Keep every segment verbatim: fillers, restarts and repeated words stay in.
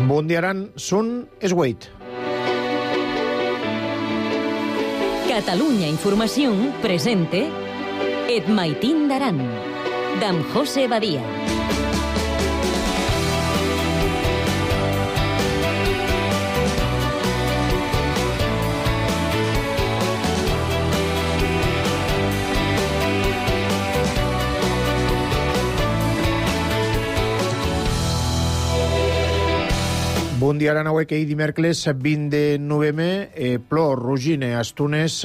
Bundiaran sun esgueit. Catalunya Información presente Et Maitín d'Aran, d'en José Badia. Bon dia, ara n'auec ahir dimèrcles vint de novembre, eh, plo Rugine, Astunes,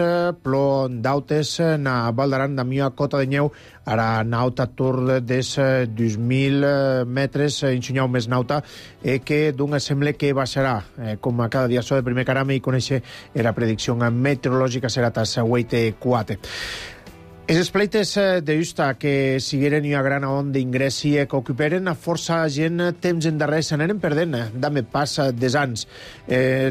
plo Dautes, na Val d'Aran, na mia cota de nyeu, ara nauta tur des dos mil metres, ensenyau més nauta, eh, que d'un sembla que baixarà, eh, com a cada dia so de primer carame i conèixer era predicció meteorològica serà tas huit quatre. Els espleites de justa que sigueren una gran onda d'ingressi que ocuperen a força gent temps endarrer s'aneren perdent, dame pas des anys.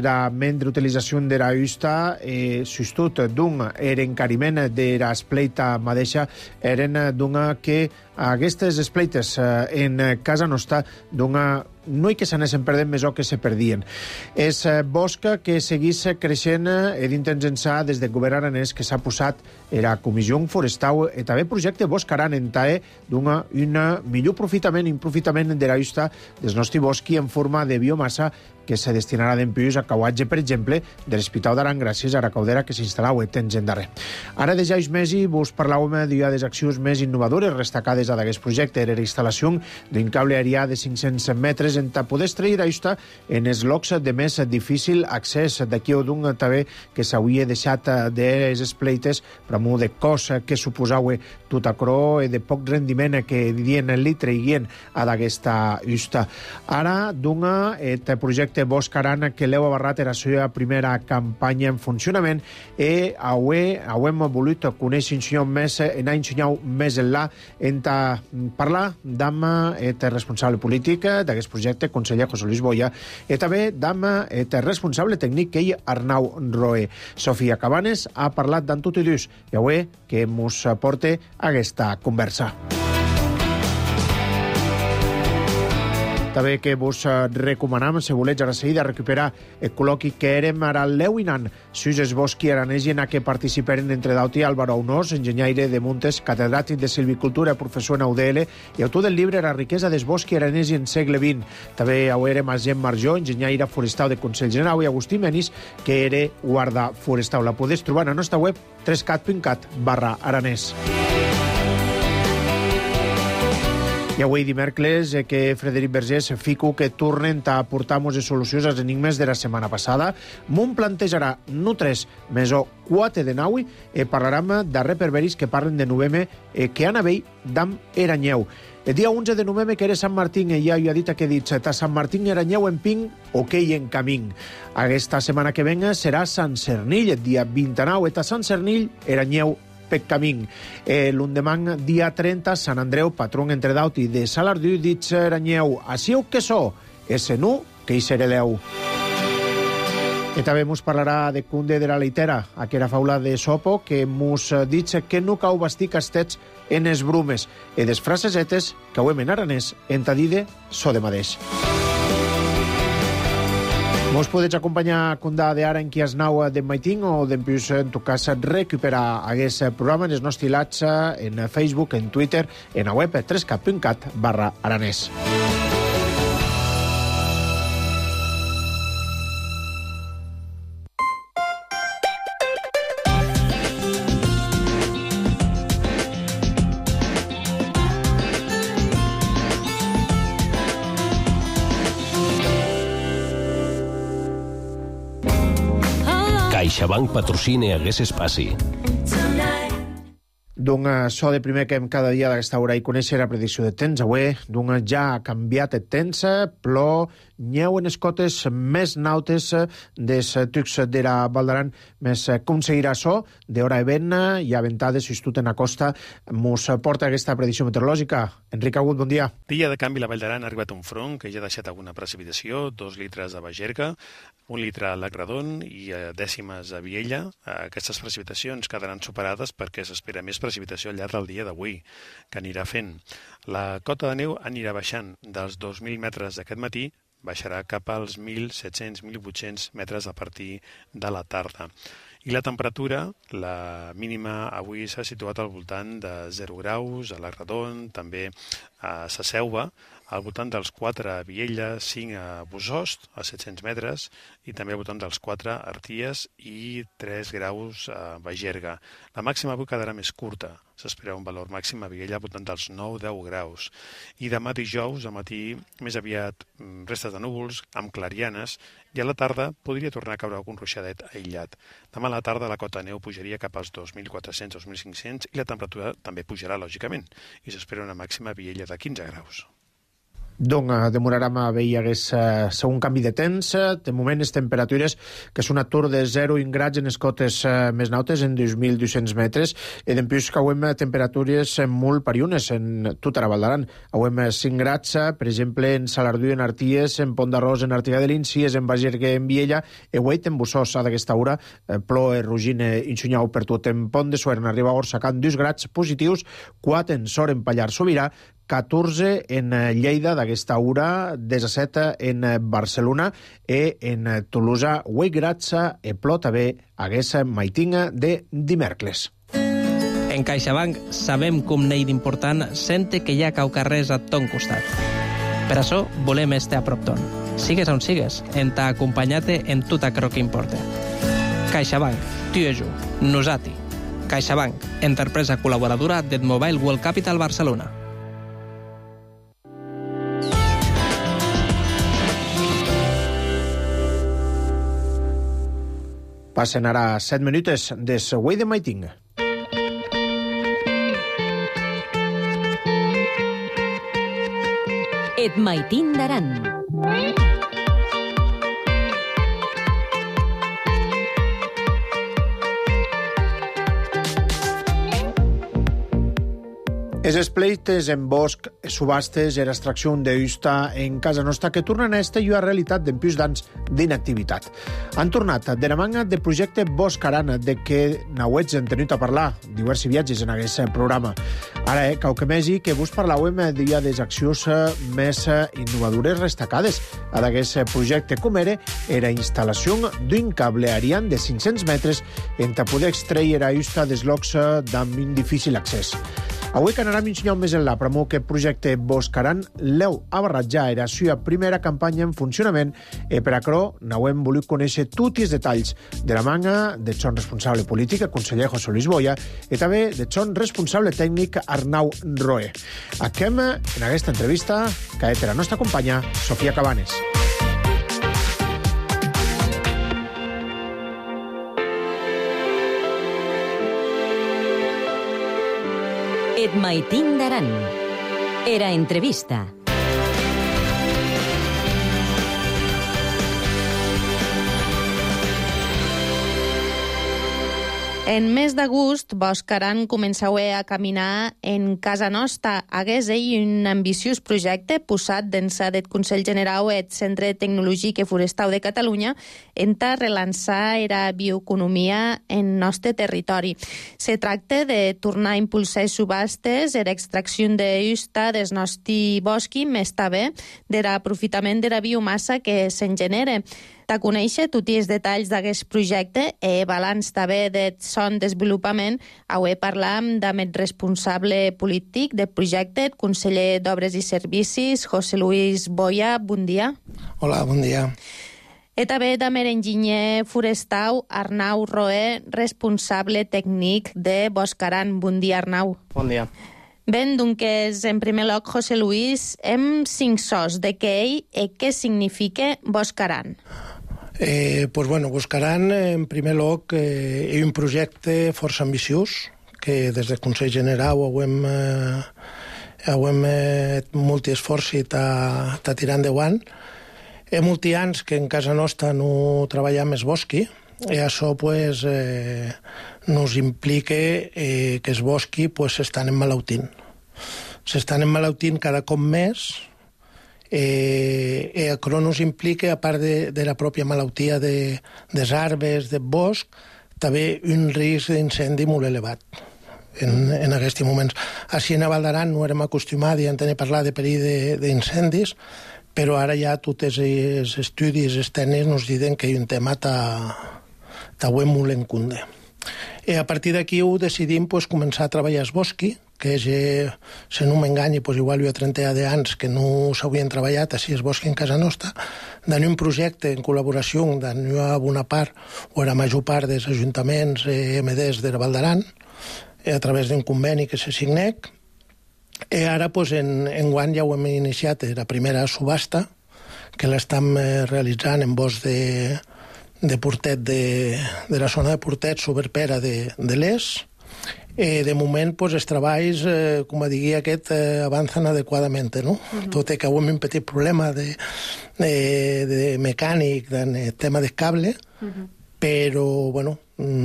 La mentre utilització de la justa, eh, sustut d'un era encariment de la espleita mateixa, eren d'una que aquestes espleites en casa nostra d'una no hi que s'anessin perdent més o que se perdien. És bosc que seguís creixent i d'intents ençà des del govern aranès que s'ha posat era Comissió Forestal i també projecte Bosc Aran en tae d'una una millor aprofitament i aprofitament de la justa des nostre bosc en forma de biomassa que se destinarà d'empius a cauatge, per exemple, de l'Hospital d'Aran gràcies a la caudera que s'instal·lau a temps en darrer. Ara de ja uns mesos vos parlàvem d'una de les accions més innovadores destacades a d'aquest projecte, era la instal·lació d'un cable aèria de cinc-cents metres en ta poder extrair ajusta en els llocs de més difícil accés d'aquí o d'un també que s'hauria deixat de les espleites per amunt de cos que suposau tot acrò i de poc rendiment que dient el litre i guien a d'aquesta justa. Ara d'un projecte Bosc Aran que l'heu abarrat era la seva primera campanya en funcionament i avui hem volut conèixer més, anar ensenyant més enllà en parlar amb el responsable polític d'aquest projecte, conseller José Luis Boya, i també amb el responsable tècnic que ell, Arnau Roé. Sofia Cabanes ha parlat d'en tot i dus i avui que mos porta aquesta conversa. També que vos recomanam, si volets ara seguida, recuperar el col·loqui que érem ara l'Euinan, sus els bosqui aranesi en què participaren entre d'auti Álvaro Aunós, enginyaire de Muntes, catedràtic de silvicultura, professor en U D L i autor del llibre La riquesa dels bosqui aranesi en segle vint. També ho érem a Gent Marjó, enginyaire forestal de Consell General, i Agustí Menis, que era guarda forestal. La podeu trobar a la nostra web tres cat punt cat barra aranès. I avui dimèrcles eh, que Frederic Vergés fico que tornen a portar-nos les solucions als enigmes de la setmana passada. M'un plantejarà no tres, més o quatre de nau i parlarem de reperberis que parlen de novembre eh, que han avell d'am Eranyeu. El dia onze de novembre que era Sant Martín i ja ho ha dit que he dit ta Sant Martín Eranyeu en ping o que hi en camín. Aquesta setmana que venga serà Sant Cernill, el dia vint-i-nou, eta Sant Cernill Eranyeu pec camín. Eh, L'endemà, dia trenta, Sant Andreu, patrón entre dauti de Salardú, dit Eranyeu, asiu que so, ese nu que hi sereleu. I també mos parlarà de Cunde de la Leitera, aquella faula de Sopo, que mos dit que no cau bastir castets en es brumes, i des frasesetes que ho hem en aranès entadide so de madeix. Vos podeu acompanyar Cundà de ara en qui es nau d'en Maitín o d'en Pius, en tu cas, recuperar aquest programa en els nostres hilats en Facebook, en Twitter, en la web tres cat punt cat barra aranès. CaixaBank patrocina hagués espaci. D'un so de primer que hem cada dia d'aquesta hora i conèixer la predicció de temps. Avui, d'un ja ha canviat el temps, plou, nyeu en escotes més nautes des tucs de la Val d'Aran, més aconseguirà so d'hora de vent i aventades justut en la costa. Mos porta aquesta predicció meteorològica. Enric Agut, bon dia. Dia de canvi, la Vall d'Aran ha arribat un front que ja ha deixat alguna precipitació, dos litres a Bagerga, un litre a Lagradon i dècimes a Viella. Aquestes precipitacions quedaran superades perquè s'espera més precipitació al llarg del dia d'avui, que anirà fent. La cota de neu anirà baixant dels dos mil metres d'aquest matí baixarà cap als mil set-cents a mil vuit-cents metres a partir de la tarda. I la temperatura, la mínima avui s'ha situat al voltant de zero graus, a la Redon, també a Sa Selva, al voltant dels quatre a Viella, cinc a Bosost, a set-cents metres, i també al voltant dels quatre a Arties i tres graus a Bagerga. La màxima avui quedarà més curta, s'espera un valor màxim a Viella al voltant dels nou a deu graus. I demà dijous, al matí, més aviat restes de núvols, amb clarianes, i a la tarda podria tornar a caure algun ruixadet aïllat. Demà a la tarda la cota de neu pujaria cap als dos mil quatre-cents a dos mil cinc-cents i la temperatura també pujarà, lògicament, i s'espera una màxima a Viella de quinze graus. Donc, demorarem a veure hagués uh, segon canvi de temps. De moment, les temperatures, que és un atur de zero graus en les cotes uh, més nautes, en dos mil dos-cents metres, i d'empús que hauem temperatures molt pariunes en tota la Val d'Aran. Hauem cinc graus, per exemple, en Salardú, en Arties, en Pont d'Arròs, en Artiga de l'Incies, en Bagergue, en Viella, e Hueit, en Bossós, a d'aquesta hora, eh, ploe, rugine, inxunyau per tot. En Pont de Suert, arriba a Orsacant, dos graus positius, quatre en Sor, en Pallar Sobirà, catorze en Lleida d'aquesta hora, disset en Barcelona i en Tolosa, vuit graus e plot també aquesta maitinga de dimecres. En CaixaBank sabem com n'hi d'important sente que hi ha caucarrers a ton costat. Per això volem estar a prop ton. Sigues on sigues, en t'ha acompanyat en tot aquello que importa. CaixaBank, tu i jo, nosati. CaixaBank, empresa col·laboradora del Mobile World Capital Barcelona. Passen ara set minutes des Güell de Maiting. Et Maitin d'Aran. Es espleites en bosc, subhastes e l'extracció d'usta en casa nostra que tornen a esta llua realitat d'empús d'anys d'inactivitat. Han tornat de la manga del projecte Bosc Aran, de què n'auets hem tenit a parlar diversos viatges en aquest programa. Ara, eh, cau que mesi que vos parlàvem d'ia des accions més innovadores destacades a d'aquest projecte, com era la instal·lació d'un cable Ariane de cinc-cents metres en ta poder extreure usta des llocs d'amb un difícil accés. Avui que anarem ensenyant més en la promo que el projecte Bosc Aran l'heu a barratjar era la seva primera campanya en funcionament i per això n'hauem volut conèixer tots els detalls de la manga del son responsable polític, el conseller José Luis Boya, i també del son responsable tècnic Arnau Roé. Acabem en aquesta entrevista que és la nostra companya Sofia Cabanes. Et Maitin d'Aran. Era entrevista. En mes d'agost, Bosc Aran començau a caminar en casa nostra. Hagués ell un ambiciós projecte posat dins del Consell Generau del Centre Tecnològic i Forestau de Catalunya en ta relançar la bioeconomia en nostre territori. Se tracta de tornar a impulsar subhastes i l'extracció d'usta des nostre bosc, més també de l'aprofitament de la biomassa que se'n genera. Ta conèixer tots els detalls d'aquest projecte i balanç també del son desenvolupament, avui parlam amb el responsable polític del projecte, el conseller d'Obres i Servicis, José Luis Boya. Bon dia. Hola, bon dia. I també amb l'enginyer forestal Arnau Roé, responsable tècnic de Bosc Aran. Bon dia, Arnau. Bon dia. Ben, doncs, en primer lloc, José Luis, hem cinc sos de què ell i què significa Bosc Aran. Eh, pues bueno, Bosc Aran, en primer lloc, eh, és un projecte força ambiciós, que des del Consell General hem, eh, hem eh, molt esforç i està tirant endavant. Hi ha molts anys que en casa nostra no treballem més bosqui, i això pues, eh, nos implica eh, que els bosqui pues, s'estan emmalautint. S'estan emmalautint cada cop més, eh, i això nos implica, a part de, de la pròpia malaltia de, dels arbres, del bosc, també un risc d'incendi molt elevat en, en aquests moments. Així a Val d'Aran no érem acostumats a tenir parlar de perill d'incendis, però ara ja tots els estudis els tècnics ens diuen que hi ha un tema ta, ta molt en cunde. I a partir d'aquí ho decidim pues, començar a treballar el bosqui, que és, eh, si no m'enganyi, pues, igual hi ha trenta d'anys que no s'havien treballat així el bosqui en casa nostra, d'anar un projecte en col·laboració d'anar a bona part, o a la major part dels ajuntaments eh, M Ds de la Val d'Aran, eh, a través d'un conveni que se signec. I ara, pues, en, en guany ja ho hem iniciat la primera subhasta, que l'estem eh, realitzant en bosc de, de Portet, de, de la zona de Portet, Soberpera de, de l'Es. Eh, de moment, pues, els treballs, eh, com a digui aquest, eh, avancen adequadament, no? Uh-huh. Tot i que avui hem un petit problema de, de, de mecànic, de tema de cable, uh-huh. però, bueno,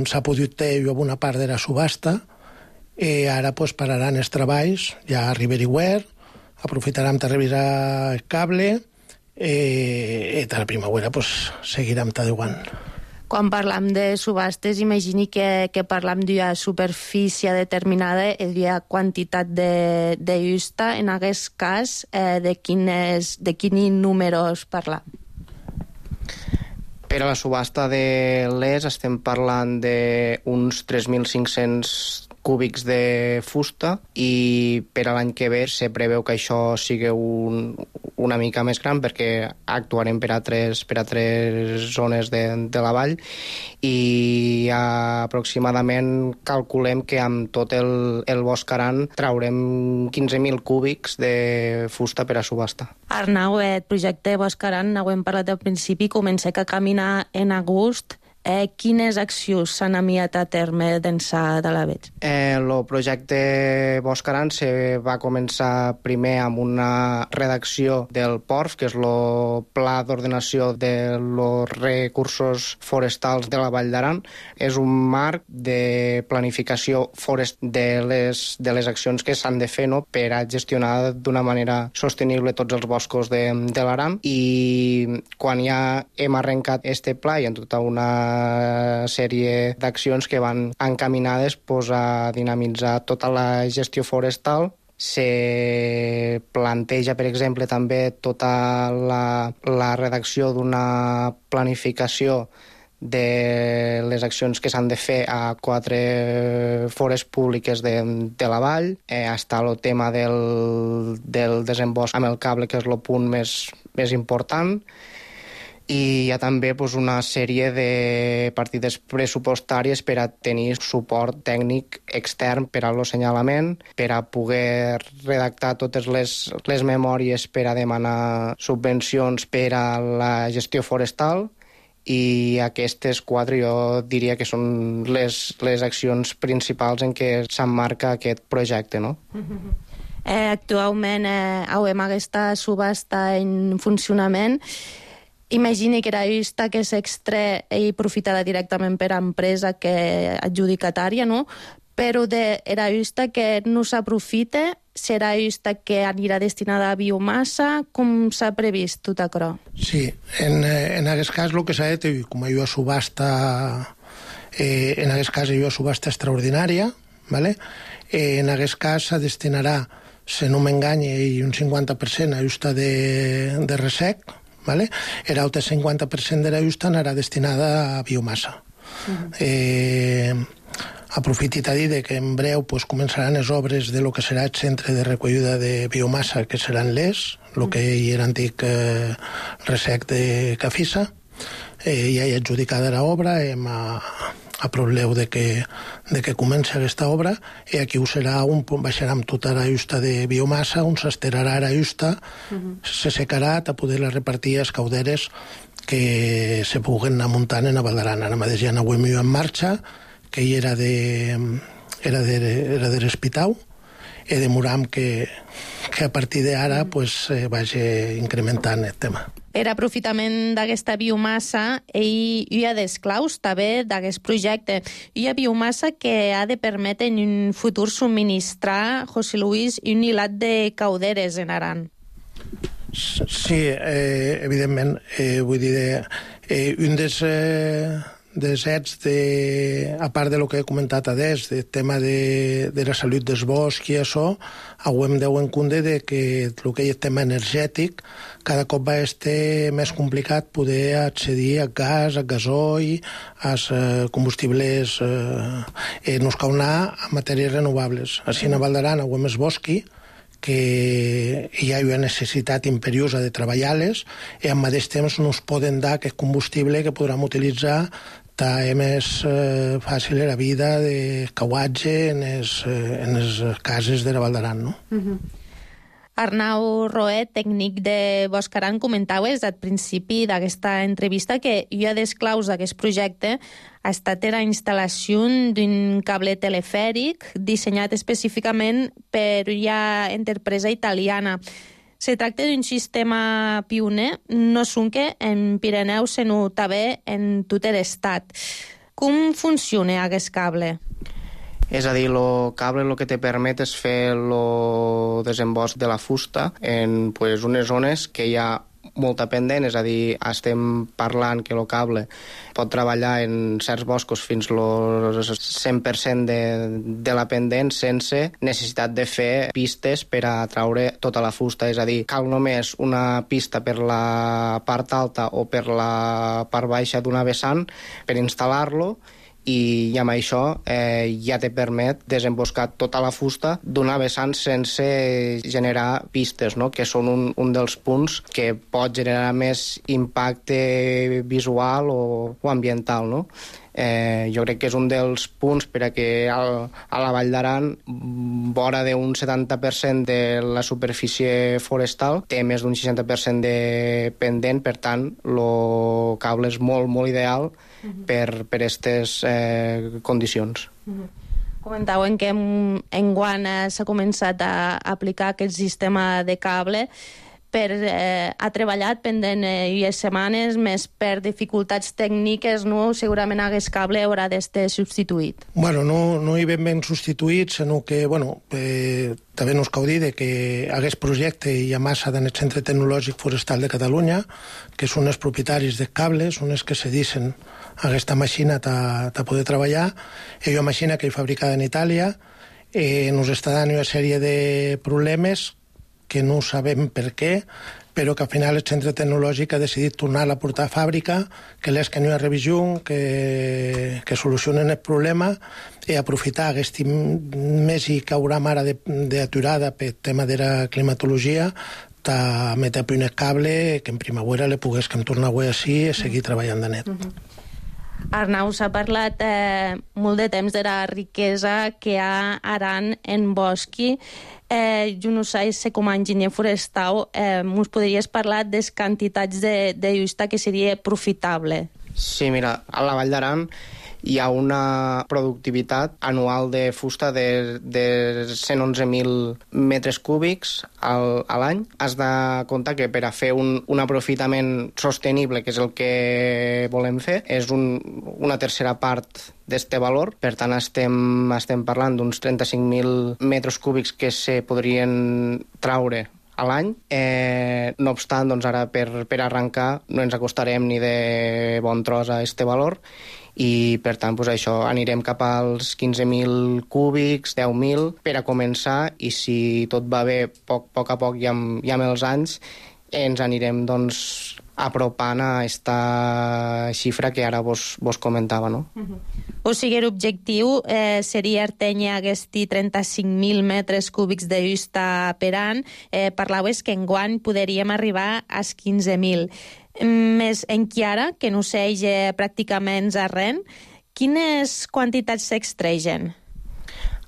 s'ha pogut ter una part de la subhasta, i ara, pues, pararan els treballs, ja a Riveryware, aprofitarem de revisar el cable, eh, i de la primavera, pues, seguirem tadeuant. Quan parlam de subhastes, imagini que, que parlam d'una superfície determinada i d'una quantitat de, de justa. En aquest cas, eh, de, quines, de quins números parlam? Per a la subhasta de l'Es estem parlant d'uns tres mil cinc-cents cúbics de fusta i per a l'any que ve se preveu que això sigui un, una mica més gran perquè actuarem per a tres, per a tres zones de, de la vall i aproximadament calculem que amb tot el, el bosc Aran traurem quinze mil cúbics de fusta per a subhasta. Arnau, el projecte Bosc Aran, n'hem parlat al principi, comença a caminar en agost. Eh, quines accions s'han enviat a terme d'ençà de l'aveig? Eh, el projecte Bosc Aran se va començar primer amb una redacció del P O R F, que és el Pla d'Ordenació dels Recursos Forestals de la Vall d'Aran. És un marc de planificació forest de les, de les accions que s'han de fer, no?, per a gestionar d'una manera sostenible tots els boscos de, de l'Aran. I quan ja hem arrencat este pla i en tota una sèrie d'accions que van encaminades pues, a dinamitzar tota la gestió forestal. Se planteja, per exemple, també tota la, la redacció d'una planificació de les accions que s'han de fer a quatre fores públiques de, de la vall. Eh, està el tema del, del desembost amb el cable, que és el punt més, més important. I hi ha també pues, una sèrie de partides pressupostàries per a tenir suport tècnic extern per a l'assenyalament, per a poder redactar totes les, les memòries per a demanar subvencions per a la gestió forestal, i aquestes quatre jo diria que són les, les accions principals en què s'emmarca aquest projecte, no? Eh, actualment eh, hem aquesta subhasta en funcionament. Imagini que era justa que s'extre i aprofitarà directament per a empresa que adjudicatària, no? Però de, era justa que no s'aprofita, serà justa que anirà destinada a biomassa, com s'ha previst tot això? Sí, en, en aquest cas el que s'ha de tenir, com hi ha subhasta, eh, en aquest cas hi ha subhasta extraordinària, ¿vale? Eh, en aquest cas se destinarà, si no m'enganye, un cinquanta per cent a justa de, de resec, ¿vale? El altre cinquanta per cent de la justa anarà destinada a biomassa. Uh-huh. Eh, aprofitit a dir que en breu pues, començaran les obres de lo que serà el centre de recollida de biomassa, que seran l'Es, el que hi era antic eh, resec de Cafissa. Eh, ja hi ha adjudicada l'obra, hem a, a probleu de que, de que comenci aquesta obra, i aquí ho serà, un, baixarà amb tota la justa de biomassa, on s'esterarà la justa, uh-huh. se secarà a poder repartir les cauderes que se puguen anar muntant en la Val d'Aran. Ara mateix ja n'ho hem en marxa, que hi era de, era de, era de l'Espitau, i demoram que, que a partir d'ara pues, eh, vagi incrementant el tema. Per aprofitament d'aquesta biomassa, hi, hi ha d'esclaus també d'aquest projecte. Hi ha biomassa que ha de permetre en un futur subministrar, José Luis, un hilat de cauderes en Aran. Sí, eh, evidentment, eh, vull dir, eh, un dels... Eh, desets, de, a part de lo que he comentat adés, del tema de, de la salut del bosc i això, hem de tenir en compte de que el que és el tema energètic cada cop va estar més complicat poder accedir a gas, a gasoil, als eh, combustibles eh, en us cal anar a matèries renovables. Així a Val d'Aran hem el bosqui, que hi ha una necessitat imperiosa de treballar-les i al mateix temps no es poden dar aquest combustible que podrem utilitzar també més eh, fàcil la vida de cauatge en les, eh, en les cases de la Val d'Aran, no? Uh-huh. Arnau Roet, tècnic de Boscaran, comentaves al principi d'aquesta entrevista que una de les claus d'aquest projecte ha estat la instal·lació d'un cable telefèric dissenyat específicament per una empresa italiana. Se tracta d'un sistema pioner, no sonque en Pirineus, sinó també en tot l'estat. Com funciona aquest cable? És a dir, el cable el que te permet és fer el desembost de la fusta en pues, unes zones que hi ha molta pendent, és a dir, estem parlant que el cable pot treballar en certs boscos fins al cent per cent de, de la pendent sense necessitat de fer pistes per a traure tota la fusta, és a dir, cal només una pista per la part alta o per la part baixa d'una vessant per instal·lar-lo i amb això eh, ja te permet desemboscar tota la fusta d'una vessant sense generar pistes, no? Que són un, un dels punts que pot generar més impacte visual o, o ambiental, no? Eh, jo crec que és un dels punts per a que al, a la Vall d'Aran vora d'un setanta per cent de la superfície forestal té més d'un seixanta per cent de pendent, per tant el cable és molt, molt ideal uh-huh. per per aquestes eh, condicions. Uh-huh. Comentaven que en, en Guant s'ha començat a aplicar aquest sistema de cable per, eh, ha treballat pendent eh, unes setmanes, més per dificultats tècniques, no? Segurament aquest cable haurà d'estar substituït. Bueno, no, no hi ben ben substituït, sinó que, bueno, eh, també no us cal dir que aquest projecte hi ha massa en el Centre Tecnològic Forestal de Catalunya, que són els propietaris dels cables, són els que cedixen aquesta màquina a poder treballar. És una màquina que és fabricada en Itàlia, eh, ens està dant una sèrie de problemes que no sabem per què, però que al final el centre tecnològic ha decidit tornar-la a portar a fàbrica, que l'és que no hi ha revisió, que, que solucionen el problema i aprofitar aquest mes i que haurà ara d'aturada per tema de la climatologia, de metre un cable que en primavera le poguéssim tornar a així i seguir treballant de net. Uh-huh. Arnau, s'ha parlat eh, molt de temps de la riquesa que hi ha a Aran en bosqui. Eh, jo no sé si com a enginyer forestal eh, us podries parlar de les quantitats de, de justa que seria profitable. Sí, mira, a la Vall d'Aran hi ha una productivitat anual de fusta de, de cent onze mil metres cúbics al, a l'any. Has de comptar que per a fer un, un aprofitament sostenible, que és el que volem fer, és un, una tercera part d'este valor. Per tant, estem, estem parlant d'uns trenta-cinc mil metres cúbics que se podrien traure a l'any. Eh, no obstant, doncs ara per, per arrencar no ens acostarem ni de bon tros a este valor i per tant doncs això, anirem cap als quinze mil cúbics, deu mil per a començar, i si tot va bé poc, poc a poc i amb, i amb els anys ens anirem doncs apropant a esta xifra que ara vos, vos comentava, no? Uh-huh. O sigui, l'objectiu eh, seria atènyer aquests trenta-cinc mil metres cúbics de justa per any. Eh, parlaves que enguany podríem arribar als quinze mil. Més encara, que no s'eix pràcticament a res, quines quantitats s'extregen?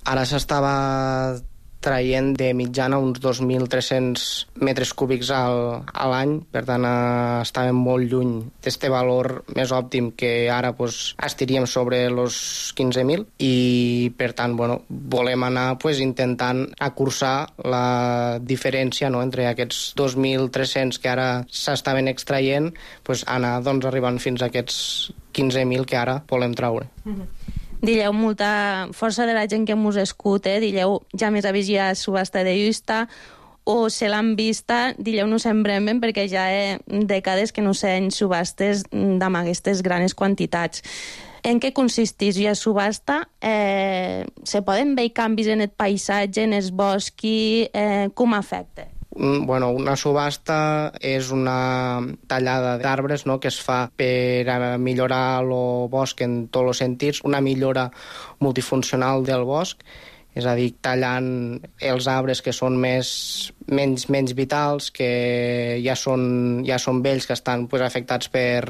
Ara s'estava traient de mitjana uns dos mil tres-cents metres cúbics al, a l'any, per tant eh, estàvem molt lluny d'este valor més òptim, que ara pues, estiríem sobre els quinze mil, i per tant bueno, volem anar pues, intentant acursar la diferència, no?, entre aquests dos mil tres-cents que ara s'estaven extraient, pues, anar doncs, arribant fins a aquests quinze mil que ara volem traure. Mm-hmm. Dilleu, molta força de la gent que mos escuta, dilleu, ja més avís ja subhasta de justa, o se l'han vista, digueu-nos en bremen, perquè ja hi ha dècades que no sé en subhastes d'amb aquestes grans quantitats. En què consisteix la subhasta? Eh, se poden veure canvis en el paisatge, en el bosc, eh, com afecta? Bueno, una subhasta és una tallada d'arbres, no?, que es fa per a millorar el bosc en tots els sentits, una millora multifuncional del bosc, és a dir, tallant els arbres que són més, menys, menys vitals, que ja són, ja són vells, que estan pues, afectats per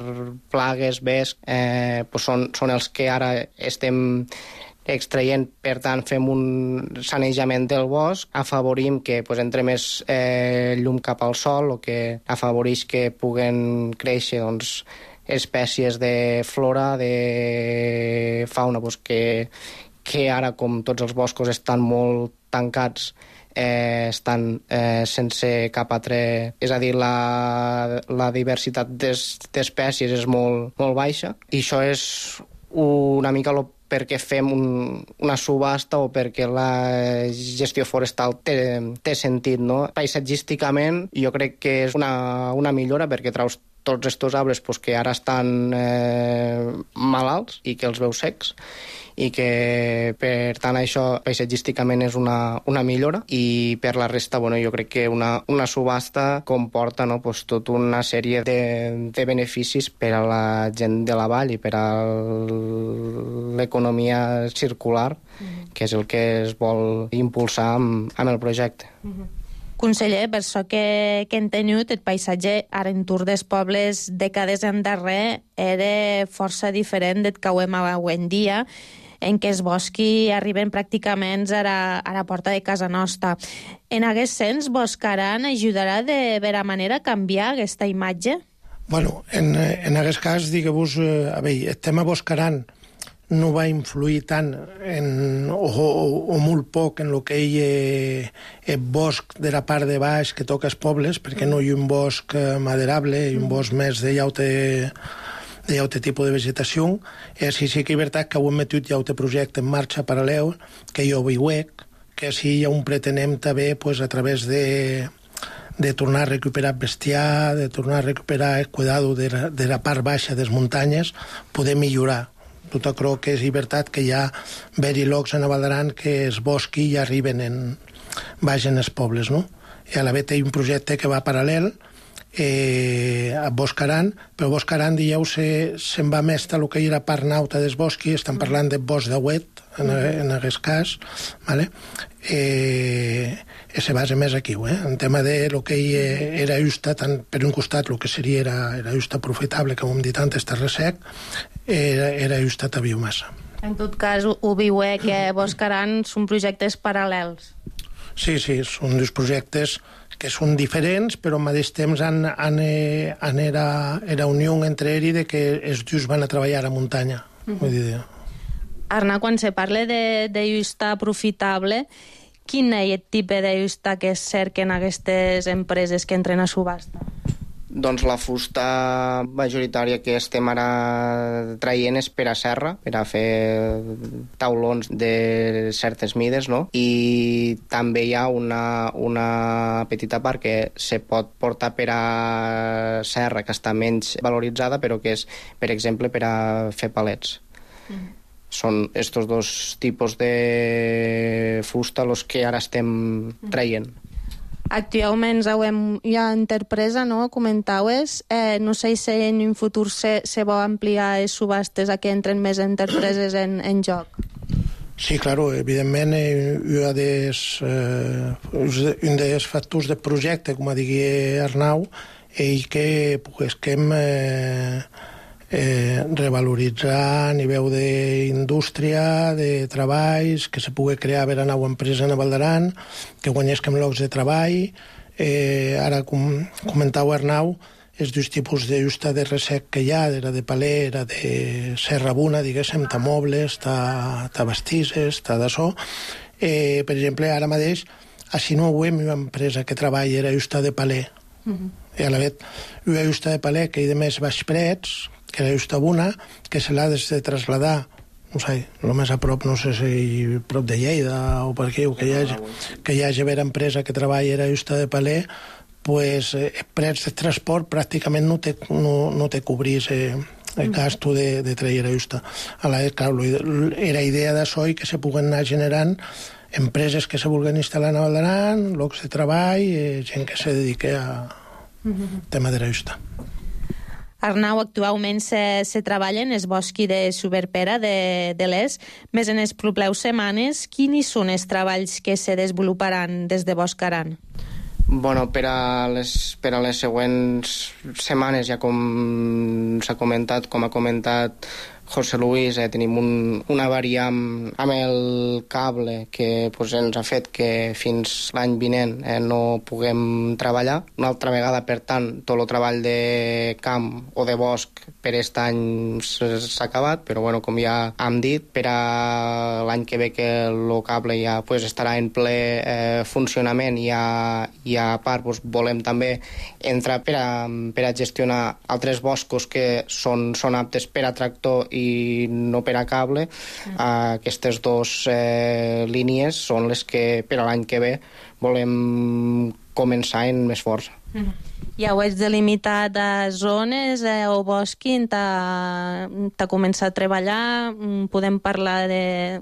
plagues, vesc, eh, pues són, són els que ara estem extraient, per tant fem un sanejament del bosc, afavorim que pues, entre més eh, llum cap al sol, o que afavoreix que puguen créixer doncs, espècies de flora, de fauna, pues, que, que ara, com tots els boscos estan molt tancats, eh, estan eh, sense cap altre... És a dir, la, la diversitat d'espècies és molt, molt baixa, i això és una mica lo perquè fem un, una subhasta o perquè la gestió forestal té, té sentit, no? Paisatgísticament jo crec que és una, una millora perquè traus tots aquests arbres pues, que ara estan eh, malalts i que els veus secs, i que per tant això paisatgísticament és una, una millora, i per la resta bueno, jo crec que una, una subhasta comporta no, pues, tota una sèrie de, de beneficis per a la gent de la vall i per a l'economia circular, mm-hmm. que és el que es vol impulsar amb, amb el projecte. Mm-hmm. Conseller, per això que, que hem tingut, el paisatge a l'entorn dels pobles dècades endarrere era força diferent del que ho hem avui en dia, en què els boscs arriben pràcticament a la, a la porta de casa nostra. En aquest sens, Boscaran ajudarà de vera manera a canviar aquesta imatge? Bueno, en, en aquest cas, digueu-vos, a veure, el tema Boscaran no va influir tant en, o, o, o molt poc en el que hi ha el bosc de la part de baix que toca els pobles, perquè no hi ha un bosc maderable, hi ha un bosc més de llaute, de llaute tipus de vegetació. I així sí que és veritat que ho hem metut llaute projecte en marxa paral·lel, que jo veiuec, que així ja un pretenem també pues, a través de de tornar a recuperar bestiar, de tornar a recuperar el cuidado de la, de la part baixa de les muntanyes, poder millorar. Tot crec que és veritat que hi ha veri llocs en Val d'Aran que els boscs ja arriben en, baixen els pobles, no? I a la vegada hi ha un projecte que va paral·lel eh, a Boscaran, però Boscaran, dieu, se'n se va més a el que hi era part nauta dels boscs, estan parlant de bosc de Huet, en, en aquest cas, vale? eh, se basa més aquí, eh? En tema de lo que hi era justa, tant per un costat el que seria era, era justa profitable, com hem dit antes, terra sec, era, era justa a biomassa. En tot cas, ho viu eh, que Boscaran són projectes paral·lels. Sí, sí, són dos projectes que són diferents, però al mateix temps han, han, han era, era unió entre ells de que els dos van a treballar a muntanya. Uh-huh. Vull dir... Arnau, quan se parla de, de justa profitable, quin és el tipus de justa que es cerquen aquestes empreses que entren a subhasta? Doncs la fusta majoritària que estem ara traient és per a serra, per a fer taulons de certes mides, no? I també hi ha una, una petita part que se pot portar per a serra, que està menys valoritzada, però que és, per exemple, per a fer palets. Mm. Són estos dos tipus de fusta els que ara estem traient. Actualment hi ha interpresa, no? Comentaues. Eh, no sé si en un futur se, se vol ampliar les subhastes a que entren més interpreses en, en joc. Sí, claro, evidentment, eh, un dels, eh, un dels factors del projecte, com digui Arnau, és que puguem eh, eh, revaloritzar a nivell d'indústria, de treballs, que se pugui crear vera nova empresa a Val d'Aran, que guanyesquem llocs de treball. Eh, ara, com comentau Arnau, els dos tipus de justa de resec que hi ha, era de paler, era de serra buna, diguéssim, ta mobles, ta, ta vestisses, ta d'açò. Eh, per exemple, ara mateix, a Sinouem, una empresa que treballa era justa de paler. Uh-huh. I a la vegada, una justa de paler que hi de més baix prets, que era justa buna, que se l'ha de traslladar no sé, el més a prop, no sé si prop de Lleida o per aquí, o que hi hagi, que hi hagi vera empresa que treballa a Justa de Paler, pues eh, prets de transport pràcticament no te, no, no te cobrís eh, el gasto de, de traer a Justa. A la vegada, clar, era idea d'això i que se puguen anar generant empreses que se vulguen instal·lar a Val d'Aran, llocs de treball, eh, gent que se dedique a mm-hmm. tema de la Justa. Arnau, actualment se, se treballa en el bosc de Superpera de, de l'Es. Més en les properes setmanes, quins són els treballs que se desenvoluparan des de Boscaran? Bueno, per a les, per a les següents setmanes, ja com s'ha comentat, com ha comentat José Luis, eh, tenim un, una avaria amb, amb el cable que pues, ens ha fet que fins l'any vinent eh, no puguem treballar. Una altra vegada, per tant, tot el treball de camp o de bosc per aquest any s'ha acabat, però bueno, com ja hem dit, per a l'any que ve que el cable ja pues, estarà en ple eh, funcionament i a, i a part pues, volem també entrar per a, per a gestionar altres boscos que són, són aptes per a tractor i no per a cable. Mm. Uh, aquestes dues eh, línies són les que per a l'any que ve volem començar en més força. Mm. Ja ho has delimitat a zones eh, o bosc on t'ha començat a treballar. Podem parlar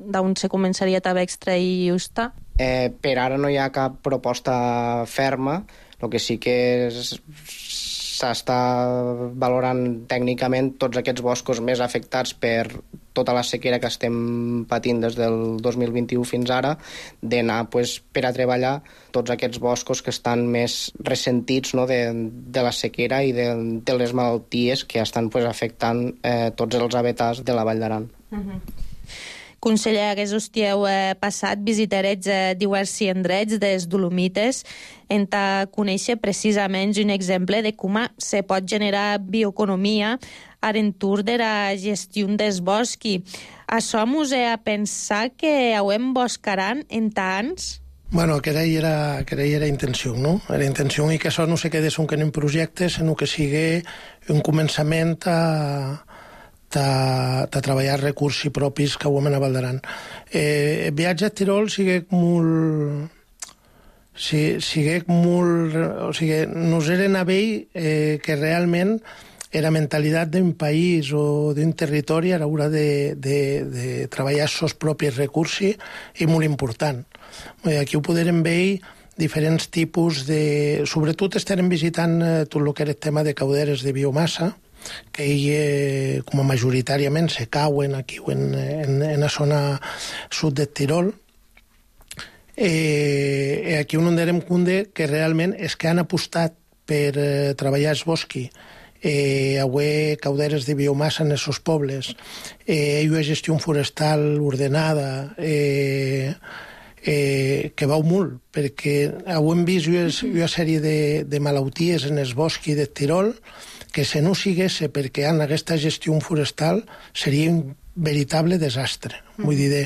d'on se començaria a extrair Justa? Eh, per ara no hi ha cap proposta ferma. El que sí que és s'està valorant tècnicament tots aquests boscos més afectats per tota la sequera que estem patint des del dos mil vint-i-u fins ara, d'anar pues, per a treballar tots aquests boscos que estan més ressentits no, de, de la sequera i de, de les malalties que estan pues, afectant eh, tots els habitats de la Vall d'Aran. Uh-huh. Conseller, aquest hòstiu eh, passat visitarets eh, diversos indrets des Dolomites en ta conèixer precisament un exemple de com se pot generar bioeconomia a l'entorn de la gestió dels boscs. Això mos he a pensar que hauem Boscaran en tants? Bueno, que era, que era intenció, no? Era intenció i que això no se quedés un que en un projecte, sinó que sigui un començament a de treballar recursos propis que ho hem a Val d'Aran. Eh, el viatge a Tirol sigue molt... sigue molt... O sigui, nos eren a veure eh, que realment la mentalitat d'un país o d'un territori a l'hora de, de, de treballar els seus propis recursos és molt important. Aquí ho podrem veure diferents tipus de... Sobretot estarem visitant eh, tot el que era el tema de cauderes de biomassa, que ell, com a majoritàriament se cauen aquí en, en, en la zona sud del Tirol. Eh, aquí on ens donem compte que realment és que han apostat per eh, treballar els boscs, eh, haver cauderes de biomassa en els seus pobles, eh, una gestió forestal ordenada, eh, eh, que vau molt, perquè hem vist una sèrie de, de malalties en els boscs del Tirol que si no sigués perquè en aquesta gestió forestal seria un veritable desastre. Mm. Vull dir, de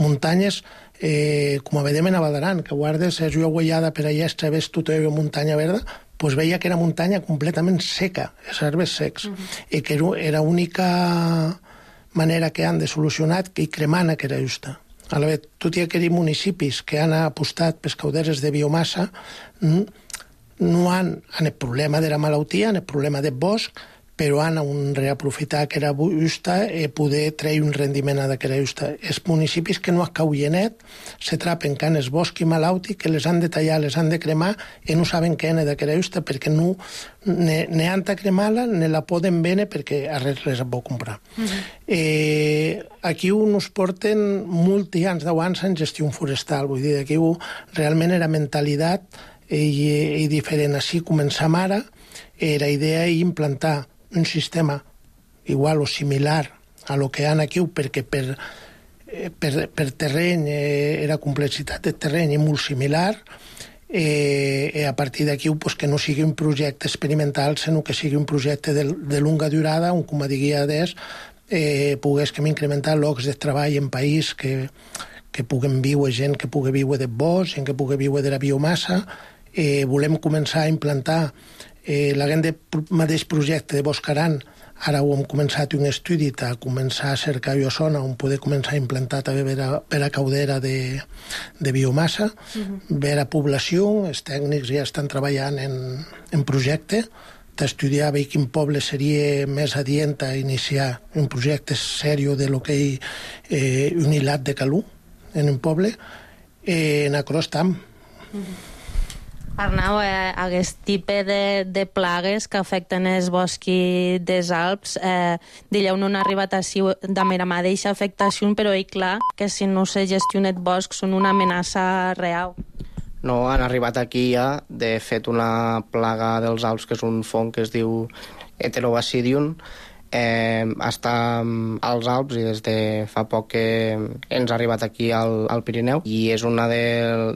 muntanyes, eh, com a vedem a Val d'Aran, que guardes, és una guaiada per allà, ves tota la muntanya verda, pues veia que era muntanya completament seca, els arbres secs, mm. i que era l'única manera que han de solucionar que hi cremant que era justa. A la vegada, tot i aquells municipis que han apostat per cauderes de biomassa, no han, han el problema de la malaltia, han el problema del bosc, però han un reaprofitar que era justa i poder treure un rendiment a que era justa. Els municipis que no es cauienet se trapen que en els boscs malauti, que les han de tallar, les han de cremar i no saben què és de que era justa perquè no ne, ne han de cremar-la, ne la poden vendre perquè a res les pot comprar. Uh-huh. eh, aquí uns porten molts anys, deu anys en gestió forestal, vull dir, aquí realment era mentalitat i, i diferent. Així començam ara, eh, la idea és implantar un sistema igual o similar a lo que han aquí, perquè per, per, per terreny, eh, la complexitat del terreny és molt similar, eh, i a partir d'aquí pues, que no sigui un projecte experimental, sinó que sigui un projecte de, de longa durada, on, com a diguia des, eh, poguéssim incrementar llocs de treball en país que, que puguem viure gent que pugui viure de bosc, gent que pugui viure de la biomassa. Eh, volem començar a implantar eh, l'agent de mateix projecte de Boscaran Ara ho hem començat un estudi a començar a cercar jo zona on poder començar a implantar també per a, per a caudera de, de biomassa, uh-huh. per a població, els tècnics ja estan treballant en, en projecte, d'estudiar bé quin poble seria més adient a iniciar un projecte sèrio de lo que hi eh, un hilat de calú en un poble, eh, en acrò estam. Uh-huh. Arnau, eh, aquest tipus de, de plagues que afecten els boscs dels Alps, eh, d'allà on han arribat així de mera mà d'eixa afectació, però és clar que si no se gestiona el bosc són una amenaça real. No, han arribat aquí ja, de fet, una plaga dels Alps, que és un fong que es diu Heterobasidium, eh, està als Alps i des de fa poc que ens ha arribat aquí al, al Pirineu, i és una de,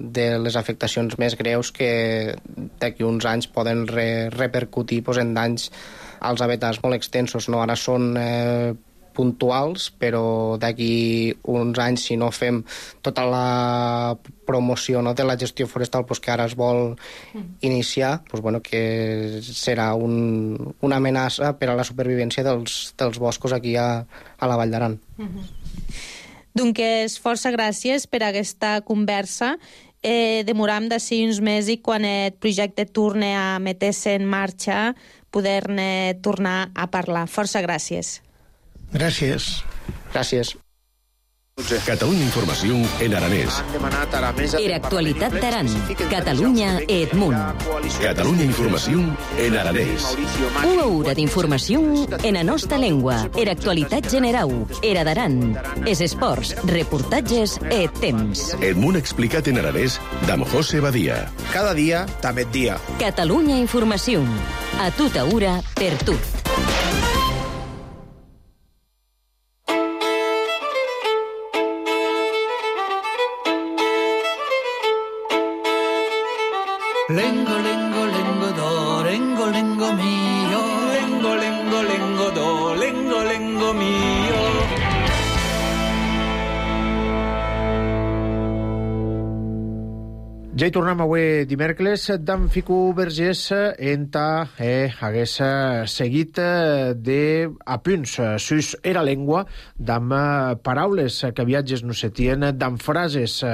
de les afectacions més greus que d'aquí uns anys poden re, repercutir pues, en danys als habitats molt extensos. No? Ara són eh, puntuals, però d'aquí uns anys, si no fem tota la promoció, no, de la gestió forestal pues, que ara es vol iniciar, pues, bueno, que serà un, una amenaça per a la supervivència dels, dels boscos aquí a, a la Vall d'Aran. Uh-huh. Doncs força gràcies per aquesta conversa. Eh, demoram d'ací uns mesos i quan el projecte torni a meter-se en marxa poder-ne tornar a parlar. Força gràcies. Gràcies. Gràcies. Catalunya Informació en aranès. Era actualitat d'Aran. Catalunya e Edmunt. Catalunya Informació en aranès. Una hora d'informació en la nostra llengua. Era actualitat generau. Era d'Aran. Es esports, reportatges e temps. Edmunt explicat en aranès d'Am José Badia. Cada dia, també dia. Catalunya Informació. A tota hora, per tu. Lengo, lengo, lengo, do, lengo, lengo mio. Lengo, lengo, lengo, do, lengo, lengo mio. Ja hi tornem avui dimecres d'en Fico Vergés enta eh, hagués seguit de a punts sus era llengua d'am paraules que viatges no se tien, d'am frases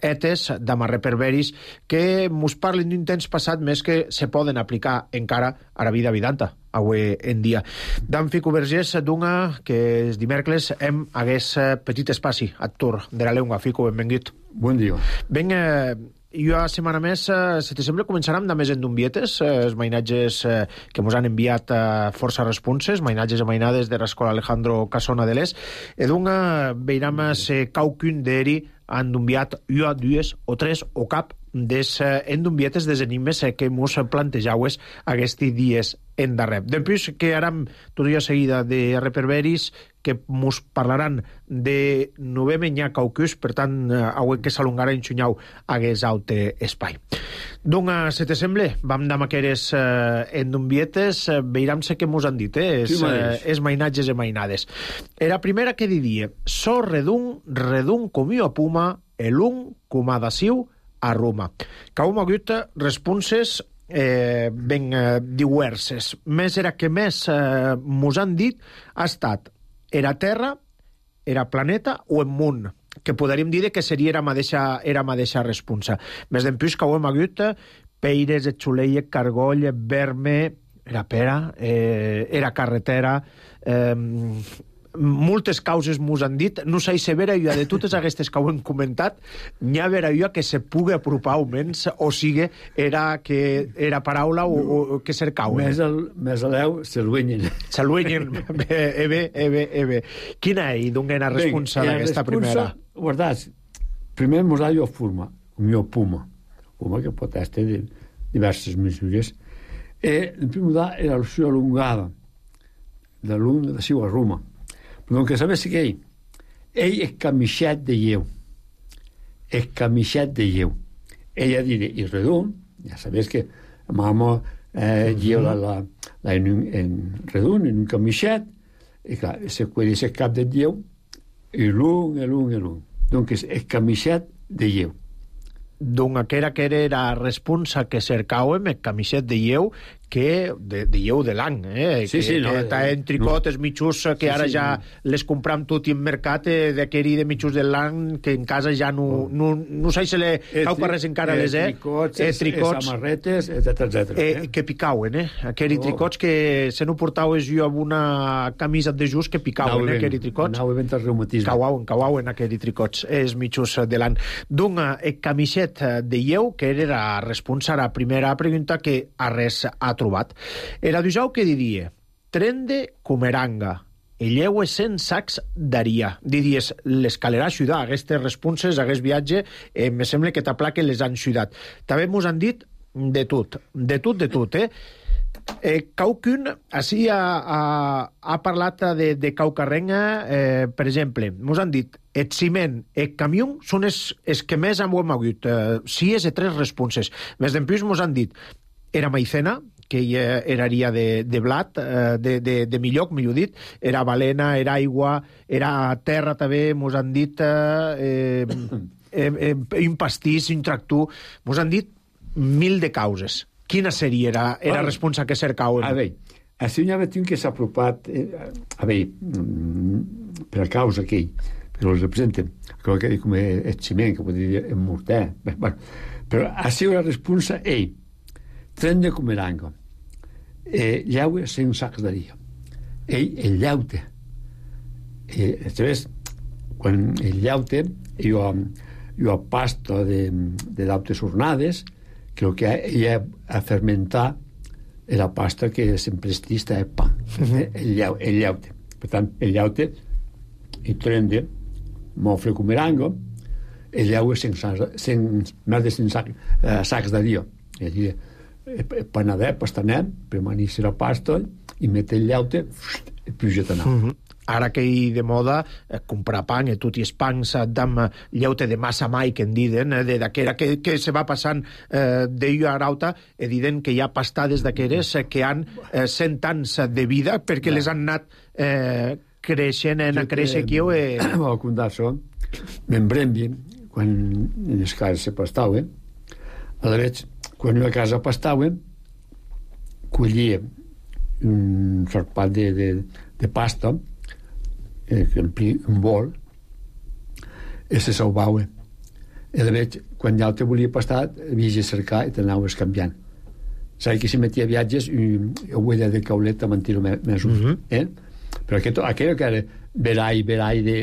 etes, d'am reperberis que mos parlen d'un temps passat més que se poden aplicar encara a la vida vidanta avui en dia. D'en Fico Vergés d'una que els dimecres hem hagués petit espaci a tur de la llengua. Fico, benvingut. Bon dia. Ben, eh, jo a setmana més, eh, si te sembla, començarem de més endumbietes, eh, els mainatges eh, que mos han enviat eh, força responses, mainatges i mainades de l'escola Alejandro Casona de l'Es, i d'una veiram se caucun d'eri han enviat jo dues o tres o cap des endumbietes des enigmes que mos plantejaues aquests dies en darrere. Després que ara tot jo seguida de reperberis que mos parlaran de novembre n'hi ha caucus, per tant, avui que s'alongarà en xunyau hagués aute espai. Doncs, si te sembla, vam d'am aqueres eh, endumbietes, eh, veiram-se que mos han dit, eh, es, eh, es mainatges i mainades. Era primera que diria, so redun, redun comiu a puma, elun comadaciu a Roma. Que hem hagut responses eh, ben eh, diverses. Més era que més eh, mos han dit ha estat era Terra, era planeta o en munt, que podríem dir que seria era mateixa, era mateixa responsa. Més d'empús que ho hem hagut peires, xuleia, cargoll, verme, era pera, eh, era carretera, eh, moltes causes mos han dit, no sé si vera jo de totes aquestes que ho hem comentat, n'hi ha vera jo que se pugui apropar almenys, o sigui, era que era paraula o, o que cercau. Més el, més l'eu, s'aluenyen. S'aluenyen, ebe, ebe, ebe. Quina és, d'on era responsa d'aquesta primera? Guardats, primer mos ha jo forma, com jo puma, puma que pot estar de diverses mesures. E, el primer era la sua allungada, de l'un de siu a Roma. Però que sabes què ell? Ell és camixat de lleu. És camixat de lleu. Ella diré, i redon, ja sabes que mama eh, lleu la, la, la en, un, en redon, en un camixat, i clar, se puede ser cap de lleu, i l'un, i l'un, i l'un. Donc és, és camixat de lleu. Doncs aquera que era la responsa que cercàvem, el camixet de lleu, que de, dieu de l'any, eh? Sí, que, sí, no, que està en tricot, no. els mitjos que Sí, ara sí, ja no. les compram tot i en mercat, eh, d'aquell de mitjos de l'any, que en casa ja no, no, no sé si le cau res encara les, eh? Tricots, eh, tricots samarretes, etcètera, etcètera. eh, que picauen, eh? Aquells Oh. tricots que se no portaves jo amb una camisa de just que picauen, eh? Aquells tricots. Anau ben el reumatisme. Cauauen, cauauen aquells tricots, els mitjos de l'any. D'una camiset de lleu, que era la responsa a la primera pregunta que a res ha trobat. Era d'usau que diria, trende comeranga, e lleue cent sacs d'aria. Diries, l'escalera a ciutat, aquestes responses, aquest viatge, eh, me sembla que t'apla que les han ciutat. També mos han dit de tot, de tot, de tot, eh? Eh, Caucun, així ha, ha, ha parlat de, de Caucarrenga, eh, per exemple, mos han dit el ciment, el camió són els, els que més hem hagut, eh, si és de tres responses. Més d'empús mos han dit era maicena, que ja eraria de, de blat, eh, de, de, de milloc, millor dit, era balena, era aigua, era terra també, mos han dit eh, eh, eh, un pastís, un tractor, mos han dit mil de causes. Quina seria era, era Ah, responsa que cercauen? A veure, així n'hi ha un que s'ha apropat, eh, a veure, mm, per a causa aquell, però els representen, crec que com el ciment, que podria dir en morter, bueno, però així la responsa, ell, tren de comeranga, eh, llaue cent sacs d'aria, ell, el llaute, eh, després, quan el llaute, jo, jo pasta de, de dautes ornades, que el que ella a fermentar la pasta que sempre estista el pa, uh-huh. el, llau, el llaute. Per tant, el llaute i trende, mofre comerango, el llaue sen, sen, més de cent sacs, eh, sacs de dia. És a dir, panadet, pastanet, permanir la pasta i mete el llaute i puja d'anar. Uh-huh. Ara que hi de moda, eh, comprar pan, i tot i els pans d'am llaute de massa mai, que en diden, eh, d'aquera que, que se va passant eh, d'ello a rauta, e diden que hi ha pastades d'aqueres eh, que han eh, cent anys de vida, perquè ja. les han anat eh, creixent, en a créixer aquí. Eh... Ho contar això, m'embrembi, quan en les cases se pastaven, a la veig, quan jo a casa pastaven, collia un sorpat de, de, de pasta, eh, que empli un bol, i se salvava. I la veig, quan ja te volia pastar, havies de cercar i t'anaves canviant. Saps que si metia viatges, jo ho he de cauleta a mentir-ho més, uh-huh. eh? Però aquest, aquell que era verai, verai de,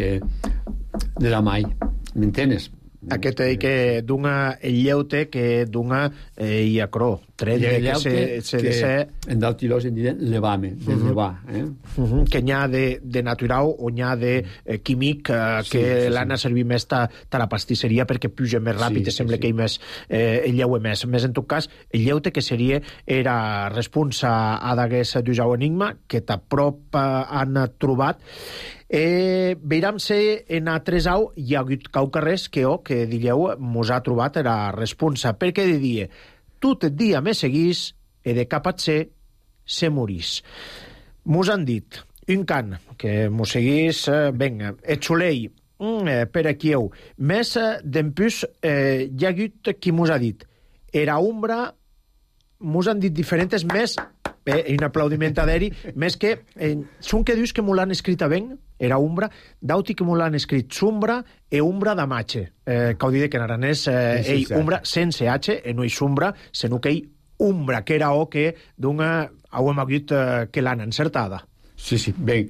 de la mai, m'entenes? Aquest eh, que dunga el llaute que dunga eh, i a cro. Tret de que se, se que de ser... en d'altilós en diuen levame, de uh -huh. levar. Eh? Uh -huh. Que n'hi ha de, de natural o n'hi ha de eh, químic eh, que sí, sí, l'han a servir més ta, ta la pastisseria perquè puja més ràpid, sí, sembla sí, que hi més eh, el llaue més. Més en tot cas, el llaute que seria era responsa a d'aguest d'usau enigma que t'aprop eh, han trobat. Eh, veiram se en altres au hi ha hagut caucarres que o que digueu mos ha trobat era responsa, perquè diria tot el dia me seguís e de cap a ser se morís. Mos han dit un can que mos seguís, eh, venga, et xulei mm, eh, per aquí heu més eh, d'empús eh, hi ha hagut qui mos ha dit era ombra, mos han dit diferents més eh, un aplaudiment a d'eri, més que eh, són que dius que m'ho l'han escrit a ben era umbra, dauti que m'ho l'han escrit sombra e umbra da matxe eh, que ho dit que en aranès eh, sí, ei sí, umbra sense h, e no hi sombra sinó que ei umbra, que era o que d'una ho hem hagut eh, que l'han encertada. Sí, sí, ben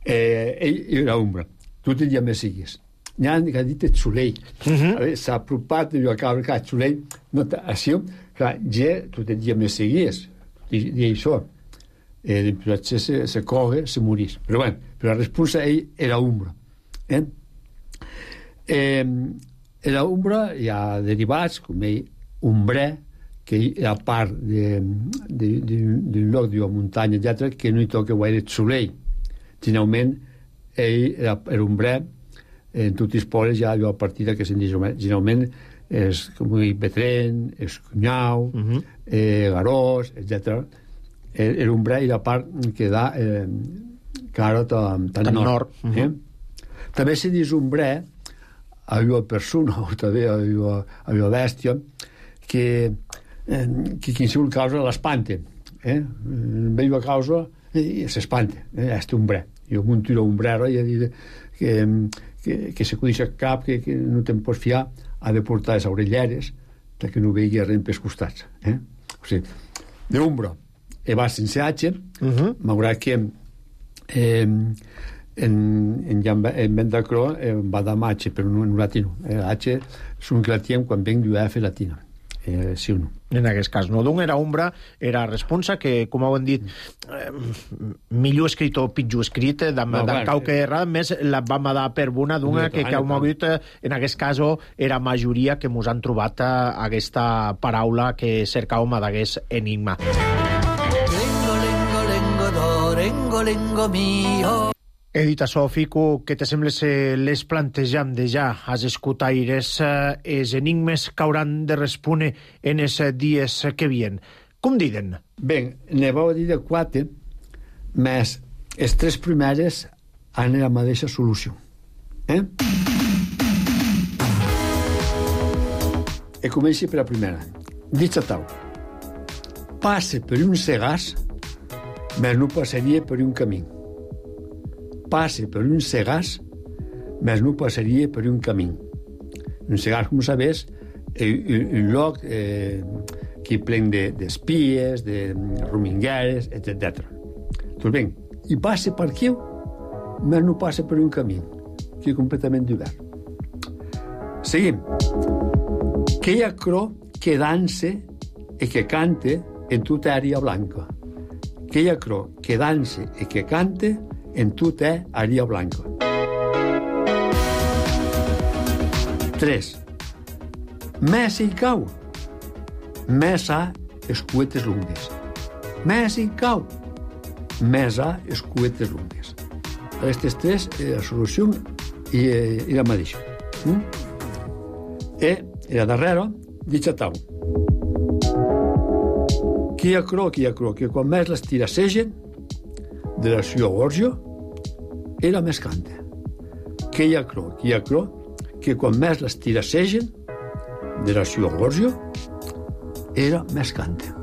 eh, ell era umbra, tu te ja me sigues n'hi ha que ha dit el xulei uh -huh. s'ha apropat jo acabo que el xulei no, així, clar, ja tu te ja me seguies i, i això eh, potser se, se coge, se morís però bueno, però la resposta ell era umbra eh? Eh, era umbra hi ha derivats com ell umbre que a part d'un lloc de muntanya etcètera que no hi toca gaire el soleil generalment ell era, era umbre en tots els pobles hi ha allò a partir que se'n diu generalment és com el Betren, és Cunyau, uh -huh. eh, Garós, etcètera. El, el umbre i la part que da eh, cara tan, tan, tan nord. nord. Uh -huh. eh? També se diu umbre a una persona o també a una bèstia que, eh, que qualsevol causa l'espanta. eh? Veio a causa i s'espanta, eh? Este umbre. Jo munto la umbrera i dir que, que, que se acudeix al cap, que, que no te'n pots fiar, ha de portar les orelleres perquè no vegi res pels costats, eh? O sigui, d'ombra e va sense H, uh-huh. Malgrat que eh, en, en, en Ventacro eh, va amb H, però no en latino. Eh, H és un que la tiem quan venc d'U F latina. Eh, sí o no. En aquest cas, no. D'un era ombra, era responsa, que, com ho han dit, eh, millor escrit o pitjor escrit, eh, d'en no, bueno, cau que erra, més la vam dar per bona d'una no, que, que heu mogut, eh, en aquest cas, era majoria que mos han trobat eh, aquesta paraula que cercàvem d'aguest enigma. Lengo, lengo, lengo, do, lengo, lengo, mio. He dit això, Fico, que te sembla se les plantejam de ja als escutaires eh, els enigmes que hauran de respondre en els dies que vien. Com diden? Bé, ne vau dir de quatre, més els tres primeres han la mateixa solució. Eh? E comenci per la primera. Dicha tau. Passe per un segàs, més no passaria per un camí. Passe per un segàs, més no passaria per un camí. Un segàs, com sabés, és un lloc eh, que plen d'espies, de, de romingueres, etcètera. Doncs bé, i passe per aquí, més no passa per un camí, que és completament obert. Seguim. Que hi ha cro que danse i que cante en tota àrea blanca. Que hi ha cro que danse i que cante en tota àrea blanca. Tres. Més hi cau. Més ha escuetes lungues. Més hi cau. Més ha escuetes lungues. Aquestes tres, eh, la solució i, eh, i la mateixa. Mm? E, la darrera, dicha tau. Qui ha cro, qui ha cro, que quan més les tirassegen de la sua gorja era més canta. Que hi ha cro, qui ha cro, que quan més les tirassegen de la sua gorja era més canta.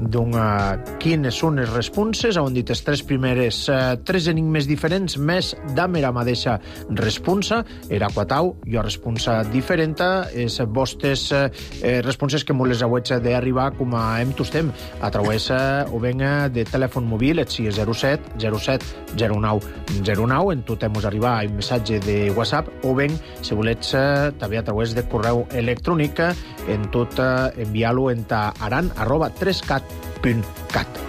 Doncs uh, quines són les responses? Heu dit les tres primeres, uh, tres enigmes diferents, més dame la mateixa responsa. Era quatau, jo responsa diferent. Les vostres uh, responses que molt les hauets d'arribar com a em tostem a través uh, o ben uh, de telèfon mòbil, et sigui zero set zero set zero nou zero nou, en tot hem arribar un missatge de WhatsApp, o ben, si volets, uh, també a través de correu electrònic, en tot uh, enviar-lo en ta aran arroba tres cat punt cat.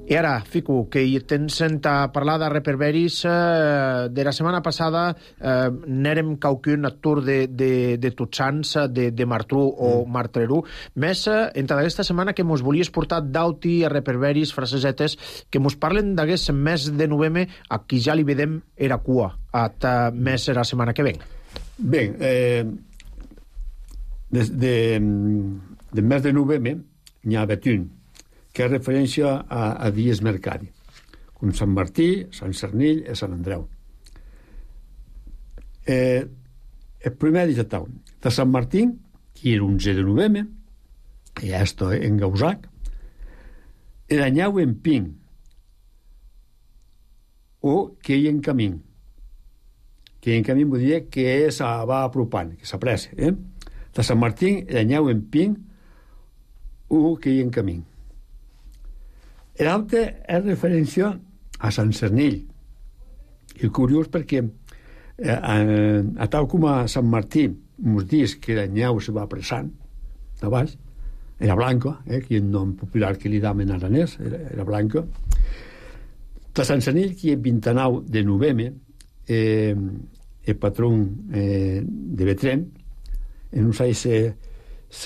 I ara, Fico, que hi tens a parlar de reperberis, eh, de la setmana passada eh, n'érem qualcun atur de, de, de Tots de, de Martru o mm. Martreru, més eh, entre aquesta setmana que mos volies portar d'auti a reperberis, frasesetes, que mos parlen d'aquest mes de novembre, a qui ja li vedem era cua, a més la setmana que ven. Bé, eh, de, de, de mes de novembre n'hi ha un que és referència a, a dies mercadi, com Sant Martí, Sant Cernill i Sant Andreu. Eh, el primer dia tau, de Sant Martí, que era onze de novembre, i esto en Gausac, era nyau en pin, o que hi en camí. Que hi en camí vull dir que se va apropant, que s'apressa. Eh? De Sant Martí era nyau en pin, o que hi en camí. L'altre és referència a Sant Cernill. I curiós perquè eh, a, a tal com a Sant Martí mos dius que la nyau se va apressant de baix, era blanca, eh, que és el nom popular que li damen aranès, era, era blanca. De Sant Cernill, que és vint-i-nou de novembre, eh, el patró eh, de Betrem, en un saix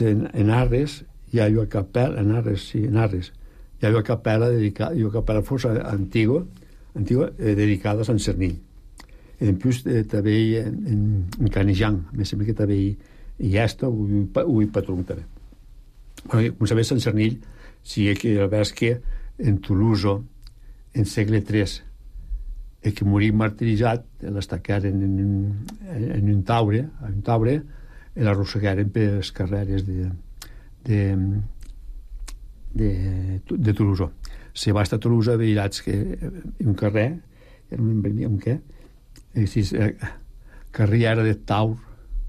en Arres, hi ha una capella, en Arres, sí, en Arres, hi ha una capella dedicada, una capella força antiga, antiga eh, dedicada a Sant Cernill. I en plus eh, també en, en, en Canejan, me sembla que també hi, hi ha esto, ho hi patró també. Bueno, com sabeu, Sant Cernill, sí que el vers que en Toulouse, en segle tres, i que morí martiritzat, l'estacaren en un, en un taure, en un taure, i l'arrossegaren per les carreres de, de, de, de Toulouse. Se va estar a Toulouse, veirats que un carrer, era un, un què? Era carriera de Taur,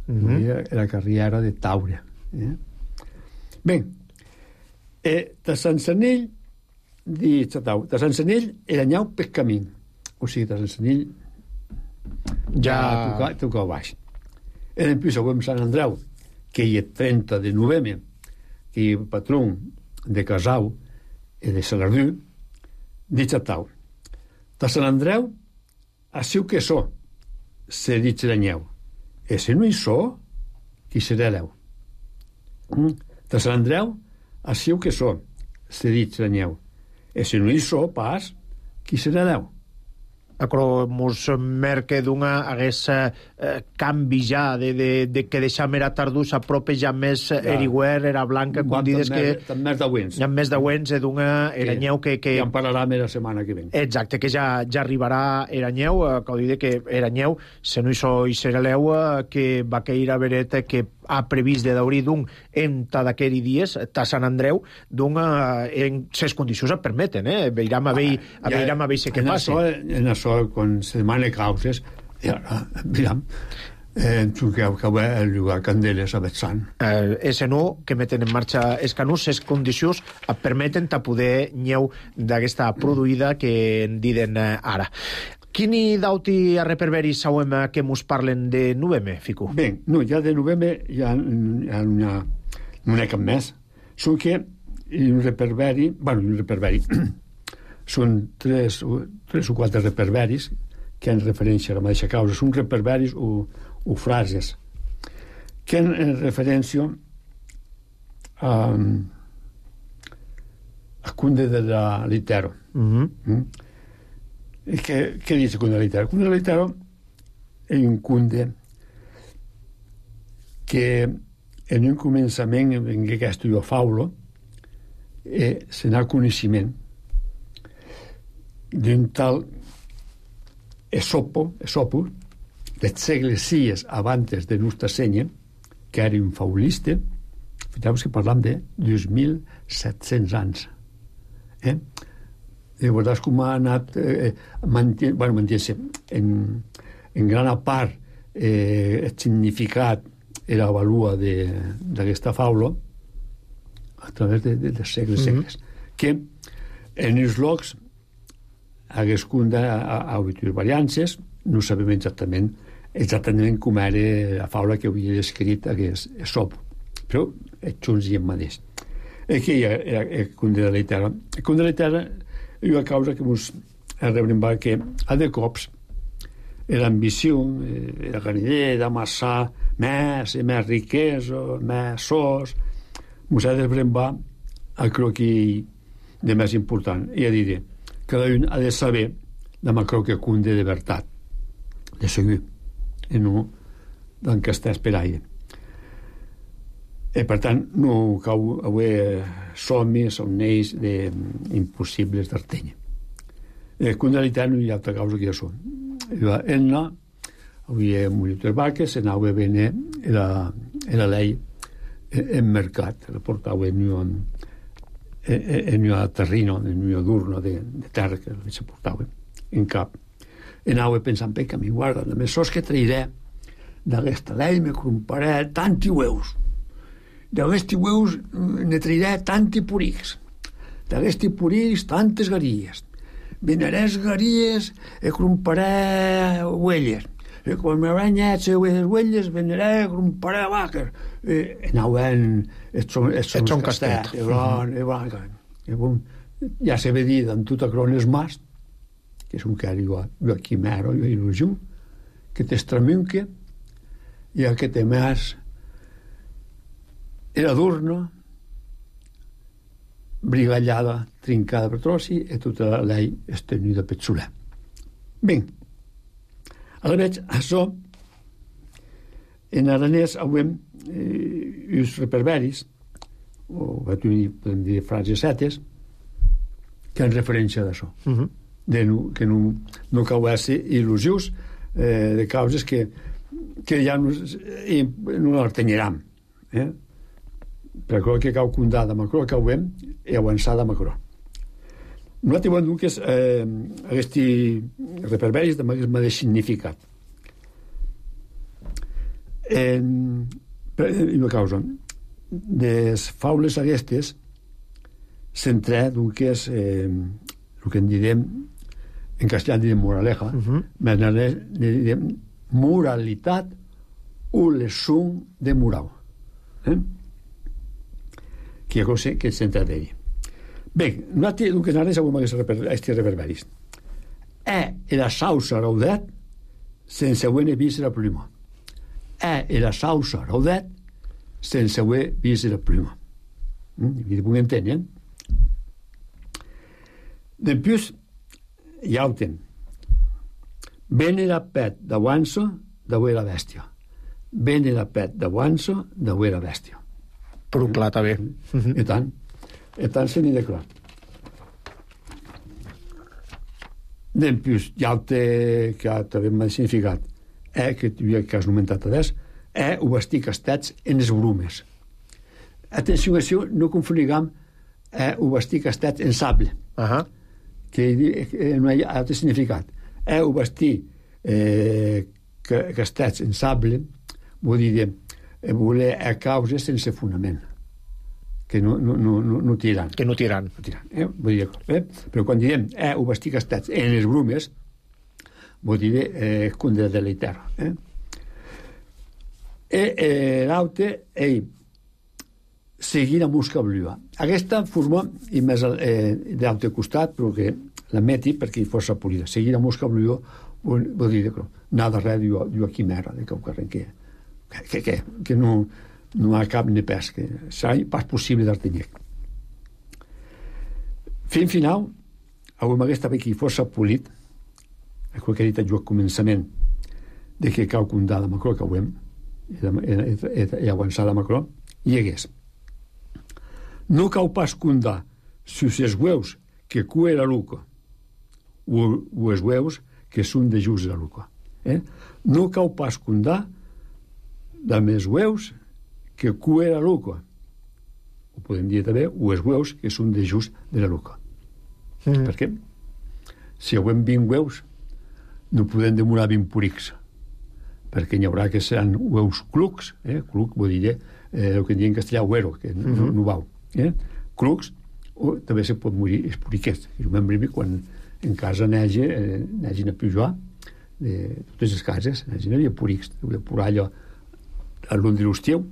mm-hmm. era carriera de Taure. Eh? Bé, eh, de Sant Sanell, de Sant Sanell era nyau per camí. O sigui, de Sant Sanell ja toca, toca baix. En plus, avui Sant Andreu, que hi ha trenta de novembre, que hi ha patró de Casau i de Salardú, de Xatau. De Sant Andreu, a siu que so, se dit la nyeu. E si no hi so, qui serà l'eu? De Sant Andreu, a siu que so, se dit la nyeu. E si no hi so, pas, qui serà l'eu? Acro mos merque d'una hagués eh, canvi ja de, de, de que deixam era tardús a prope ja més ja. Eriguer, era blanca, quan dides que... Tan més d'auents. Ja més d'auents, d'una eranyeu que... que... Ja en parlarà la setmana que ven. Exacte, que ja, ja arribarà eranyeu, eh, que ho diré que eranyeu, se no hi so i serà l'eu, eh, que va cair a Bereta, que ha previst de daurir d'un en d'aquests dies, ta Sant Andreu, d'un eh, en ses condicions et permeten, eh? Veiram a veure ah, ja, a veure què passa. En això, quan se demana causes, ja, miram, eh, que ho va llogar candeles a Betzant. Eh, ese no, que meten en marxa els canús, ses condicions et permeten ta poder nyeu d'aquesta produïda que en diden eh, ara. Quini dauti a reperberis sauem que mos parlen de novembre, Fico? Bé, no, ja de novembre ja, ja no, ha, no n'hi ha cap més. Són que un reperberi, bueno, un reperberi, són tres, tres o quatre reperberis que han referència a la mateixa causa. Són reperberis o, o frases que han referència a, a Cunde de la Litero. Mm-hmm. Mm? Què, què dice Cunde de Litero? Cunde de Litero és un cunde que en un començament en què estudió Faulo eh, se n'ha coneixement d'un tal Esopo, Esopo del segle sis abans de nostra senya, que era un faulista. Fixeu-vos que parlam de dos mil set-cents anys. Eh? I veuràs com ha anat eh, mantenint, bueno, mantenint-se en, en gran part eh, el significat i la valua d'aquesta faula a través de, de, de segles mm-hmm. segles que en els llocs hagués cunda a, a habitud variances, no sabem exactament exactament com era la faula que havia descrit aquest Esopo, però és junts i en mateix. I que hi ha el Cunde de Litero. El Cunde de Litero hi ha causa que ens rebrem que a de cops l'ambició, la ganidea d'amassar més i més riquesa, més sos, ens ha de brembar el croquí de més important. I a dir, cada un ha de saber de ma croquí Cunde de veritat, de segur, i no d'encastar per aire. I per tant no cau haver somnis, somnis d'impossibles d'artenya. El Cunde de Litero no hi ha altra causa que això. Enna havia morit les vaques, se n'havia bene la, la lei en mercat, la portava en un en un terreno, en un d'urno de, de terra que se portava en cap. I anava pensant, que mi guarda, només sos que trairé d'aquesta lei me compraré tanti ueus. D'aquesti ueus ne trairé tanti purics. D'aquesti purics tantes garies. Venaré garies e compraré uelles. I quan m'haurà nyat les uelles, venaré e compraré vaques. I anaven et són castet. Ja se ve dit en tota crones mas, que és un que arriba aquí mero, jo il·lusió, que t'estramunque i el que té més era d'urno, brigallada, trincada per trossi i tota la lei estenuda per soler. Bé, ara veig, això, en aranès avem eh, uns reperberis, o podem dir frases setes, que en referència d'això. Uh-huh. de no, que no, no cauesse il·lusius eh, de causes que, que ja no, eh, no les tenyeram. Eh? Per això que cau condà de Macró, cauvem i avançar de Macró. Nosaltres volem que eh, aquests reperberis també el mateix significat. En, per, i una causa les faules aquestes s'entra d'un que és eh, el que en direm en castellà en direm moraleja, uh-huh. en direm moralitat o lesung de moral, eh? que hi ha cosa que s'entra d'ell. Bé, nosaltres el que s'anés avui amb aquests reverberis è la sausa raudet sense avere vist la prima, è la sausa raudet sense avere vist la prima. Vi puc entendre, eh? Després hi ha el temps. Bene la pet d'avanço d'avui la bèstia. Bene la pet d'avanço d'avui la bèstia. Però clar, està bé. I tant. I tant se n'hi de clar. Després hi ha el que també m'ha significat eh, que que has nomentat adés eh, ho vestir castets en els brumes. Atenció, això no confoniguem eh, ho vestir castets en sable. Ahà. Que eh, no hi ha altre significat. Eh, ho vestir eh, castets en sable vol dir eh, voler a causa sense fonament, que no, no, no, no tiran. Que no tiran. No tiran eh? Vull dir, eh? Però quan diem eh, ho vestir castets en les brumes vol dir eh, escondre de la terra. Eh? E eh, l'altre ell seguir a musca blua. Aquesta forma, i més eh, d'altre costat, però que la meti perquè hi fos polida. Seguir a musca blua vol, vol dir que anar darrere d'una quimera, de que, que, que, que, que no, no ha cap ni pes, que serà pas possible d'artenyer. Fin final, avui m'hagués també que hi fos polit, el que he dit jo al començament, de que cau condà de Macró, que ho hem, i avançar de Macró, hi hagués. No cau pas condà si els hueus que cue la luca o, o els hueus que són de just la luca. Eh? No cau pas condà de més hueus que cue la luca. Ho podem dir també, o els hueus que són de just de la luca. Mm. Per què? Si hi ha vint hueus, no podem demorar vint purics, perquè n'hi haurà que seran hueus clucs, eh? Cluc vol dir eh, el que en diuen en castellà huero, que no, mm-hmm. no vau. Eh? Clucs, o també se pot morir els puriquets. Jo me'n brimi quan en casa n'hagi eh, n'hagin a pujar de totes les cases, n'hagin a havia purics, havia purar allò a l'un de l'estiu,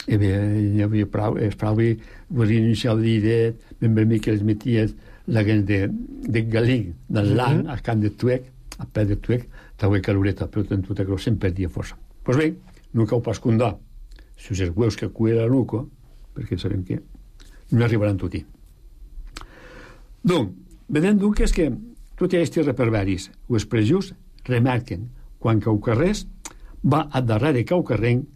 i bé, hi havia prou, es prou i volia iniciar el dia, me'n brimi que els meties la gent de, de galí, del land, mm-hmm. al camp de Tuec, a peu de Tuec, també caloreta, però en tota cosa se'n perdia força. Doncs pues bé, no cau pas condar si els hueus que cuia la luca, perquè sabem que no arribaran tot-hi. Doncs, vedem doncs que és que tots aquests reperberis o expressions remarquen quan cau carrers va a darrere cau carrenc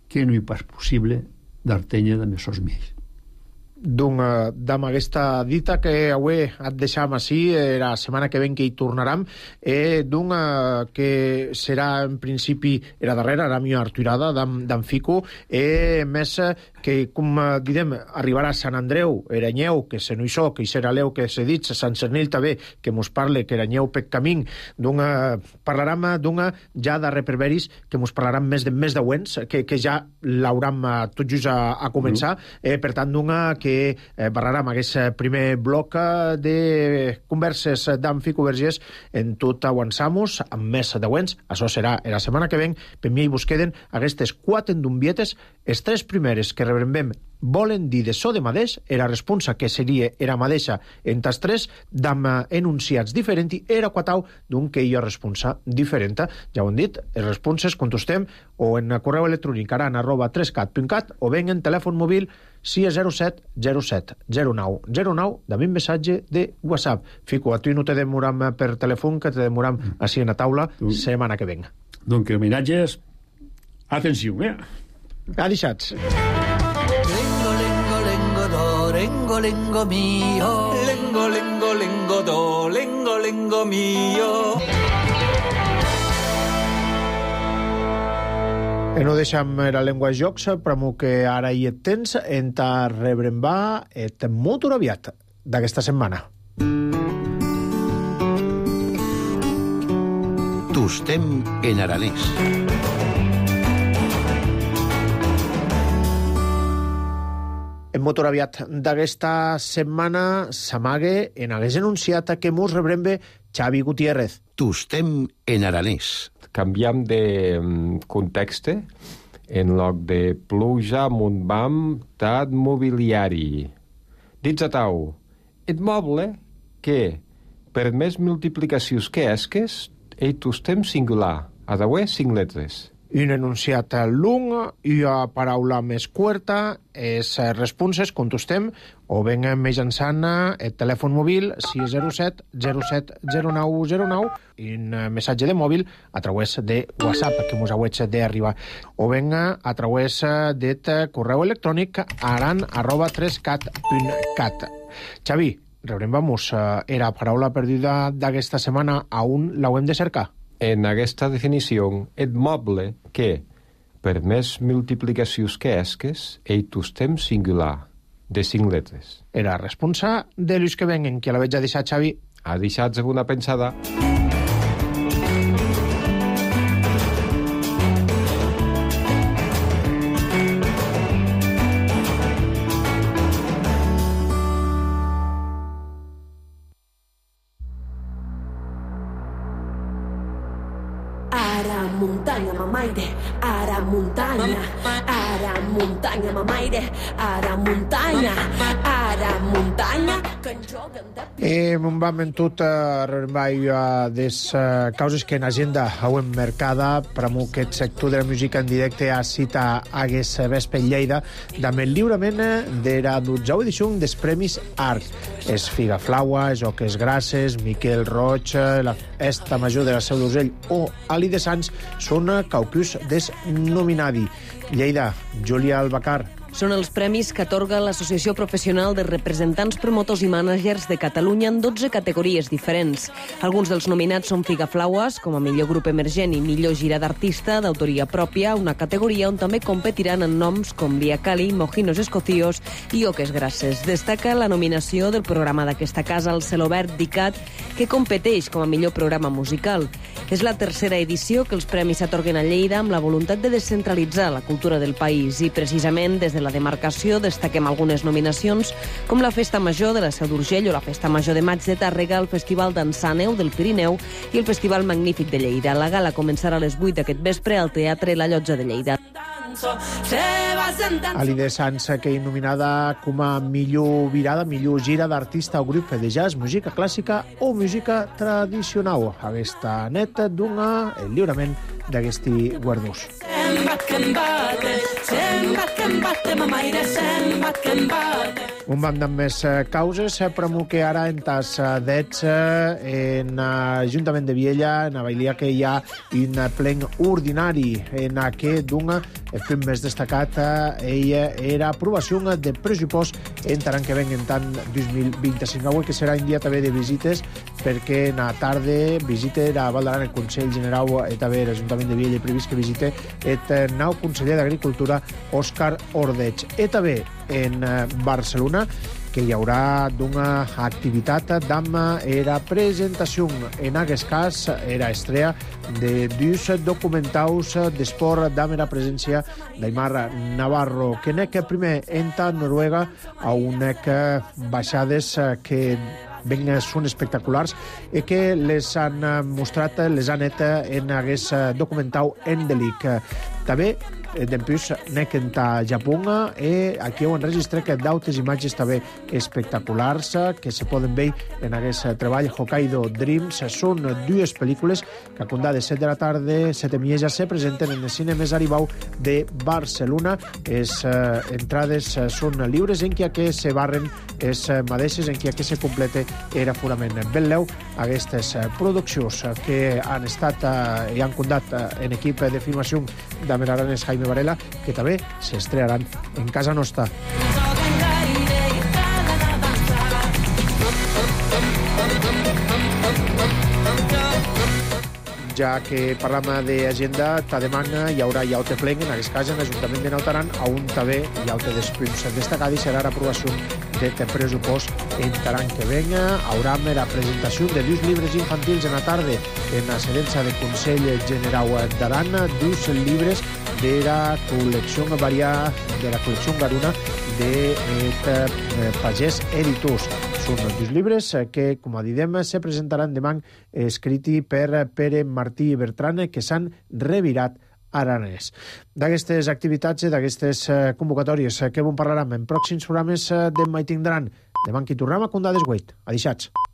que no hi pas possible d'artenya de mesos més. Doncs, amb aquesta dita que avui et deixam així, eh, la setmana que ven que hi tornaram, eh, doncs, eh, que serà en principi la darrera, la millor arturada d'en Fico, eh, més que, com direm, arribarà a Sant Andreu, Eranyeu, que se no hi so, que hi serà l'eu que s'ha dit, Sant Cernil també, que mos parle, que Eranyeu pec camí, doncs, eh, parlarem, doncs, ja de reperberis, que mos parlarem més de més d'auents, que, que ja l'hauram eh, tot just a, a començar, eh, per tant, doncs, que eh, parlarem aquest primer bloc de converses d'en Fico Vergés en tot avançamos, amb més d'auents. Això serà la setmana que ven. Per mi vos queden aquestes quatre endumbietes, les tres primeres que rebrembem volen dir de so de madeix, era responsa que seria era madeixa en tas tres, d'amb enunciats diferents, i era quatau d'un que hi ha responsa diferent. Ja ho hem dit, les responses contestem o en correu electrònic aran arroba trescat punt cat o ben en telèfon mòbil sis zero set zero set zero nou zero nou, també un missatge de WhatsApp. Fico, a tu no te demoram per telèfon, que te demoram així en la taula setmana que venga. Donc, que homenatges, atenció, eh? Ha deixats. Lengo, lengo, lengo, do, lengo, lengo mio. Lengo, lengo, lengo, do, lengo mio. E no deixam la llengua jocs, però que ara hi et tens, en ta rebrem va et molt aviat d'aquesta setmana. Tostem en aranès. En molt aviat d'aquesta setmana s'amague en hagués anunciat que mos rebrem bé Xavi Gutiérrez. Tostem en aranès. Canviam de context. En lloc de pluja, muntbam, tat mobiliari. Dits a tau, et moble que, per més multiplicacions que esques, ei tostem singular, a dauer cinc letres. Un enunciat long i a paraula més curta és responses, contestem, o ben mitjançant el telèfon mòbil sis zero set zero set zero nou zero nou i un missatge de mòbil a través de WhatsApp, que mos hauets d'arribar, o ben a través del correu electrònic aran arroba tres cat punt cat. Xavi, rebrem vamos, era paraula perduda d'aquesta setmana, a on l'hauem de cercar? En aquesta definició, et moble que, per més multiplicacions que esques, ei tostem singular, de cinc letres. Era responsa de Lluís que venguen, que la veig a deixar, Xavi. Ha deixat una pensada. Ara muntanya mamaire, ara muntanya, ara muntanya mamaire, ara muntanya, ara muntanya, que en joguen de... E me'n vam en tot rebrem uh, des uh, causes que en agenda hauem mercada per a aquest sector de la música en directe a cita hagués vespre Lleida amb el lliurament de la dotzena edició dels Premis Arc. És Figaflaua, Joques Grasses, Miquel Roig, la Festa Major de la Seu d'Urgell o Ali de Sants són caucus des nominadi. Lleida, Júlia Albacar. Són els premis que atorga l'Associació Professional de Representants, Promotors i Mànagers de Catalunya en dotze categories diferents. Alguns dels nominats són Figaflaues, com a millor grup emergent i millor gira d'artista d'autoria pròpia, una categoria on també competiran en noms com Via Cali, Mojinos Escocíos i Oques Grasses. Destaca la nominació del programa d'aquesta casa, el Celobert d'Icat, que competeix com a millor programa musical. És la tercera edició que els premis s'atorguen a Lleida amb la voluntat de descentralitzar la cultura del país i, precisament, des de la demarcació destaquem algunes nominacions com la Festa Major de la Seu d'Urgell o la Festa Major de Maig de Tàrrega, el Festival d'Ensàneu del Pirineu i el Festival Magnífic de Lleida. La gala començarà a les vuit d'aquest vespre al Teatre La Llotja de Lleida. Ali de Sants, que és nominada com a millor virada, millor gira d'artista o grup de jazz, música clàssica o música tradicional. Aquesta neta dona el lliurament d'aquesti guardons. Un band amb més causes, però que ara en tas dets en l'Ajuntament de Viella, en la Bailia, que hi ha un plen ordinari en què dona el punt més destacat ella era aprovació de pressupost en l'any que ven en tant dos mil vint-i-cinc, avui que serà un dia també de visites perquè en la tarda visita a Val d'Aran el Consell General i també l'Ajuntament de Viella previst que visite el nou conseller d'Agricultura Òscar Ordeig. I també en Barcelona que hi haurà d'una activitat d'amb era presentació en aquest cas era estrella de dos documentaus d'esport d'amb era presència d'Aimar Navarro que nec primer entra a Noruega a unec baixades que ben són espectaculars i que les han mostrat, les han net en aquest documental Endelic. També d'empús nec en ta Japó i aquí ho enregistre que d'autes imatges també espectaculars que se poden veure en aquest treball Hokkaido Dreams. Són dues pel·lícules que a condar de set de la tarda, set de mieja, se presenten en el cine més Aribau de Barcelona. Les eh, entrades són lliures en què que se barren les mateixes, en què que se complete era forament. Veieu aquestes produccions que han estat eh, i han condat eh, en equip de filmació de Meraranes Jaime Varela, que també s'estrenaran en casa nostra. ja que parlam d'agenda, ta demana hi haurà ja te plenc, en aquest cas en l'Ajuntament de Nautaran, a un també hi ha te després destacada i serà l'aprovació de pressupost en taran que venga. Haurà la presentació de dos llibres infantils en la tarda en la sedença de Consell Generau d'Aran, dos llibres de la col·lecció variada de la col·lecció Garuna de eh, Pagès Editors. Són dos llibres que, com a didem, se presentaran demà escriti per Pere Martí i Bertran, que s'han revirat aranès. D'aquestes activitats i d'aquestes convocatòries que bon parlarem en pròxims programes de Mai Tindran. Demà qui tornem a Condades Guait. Adixats.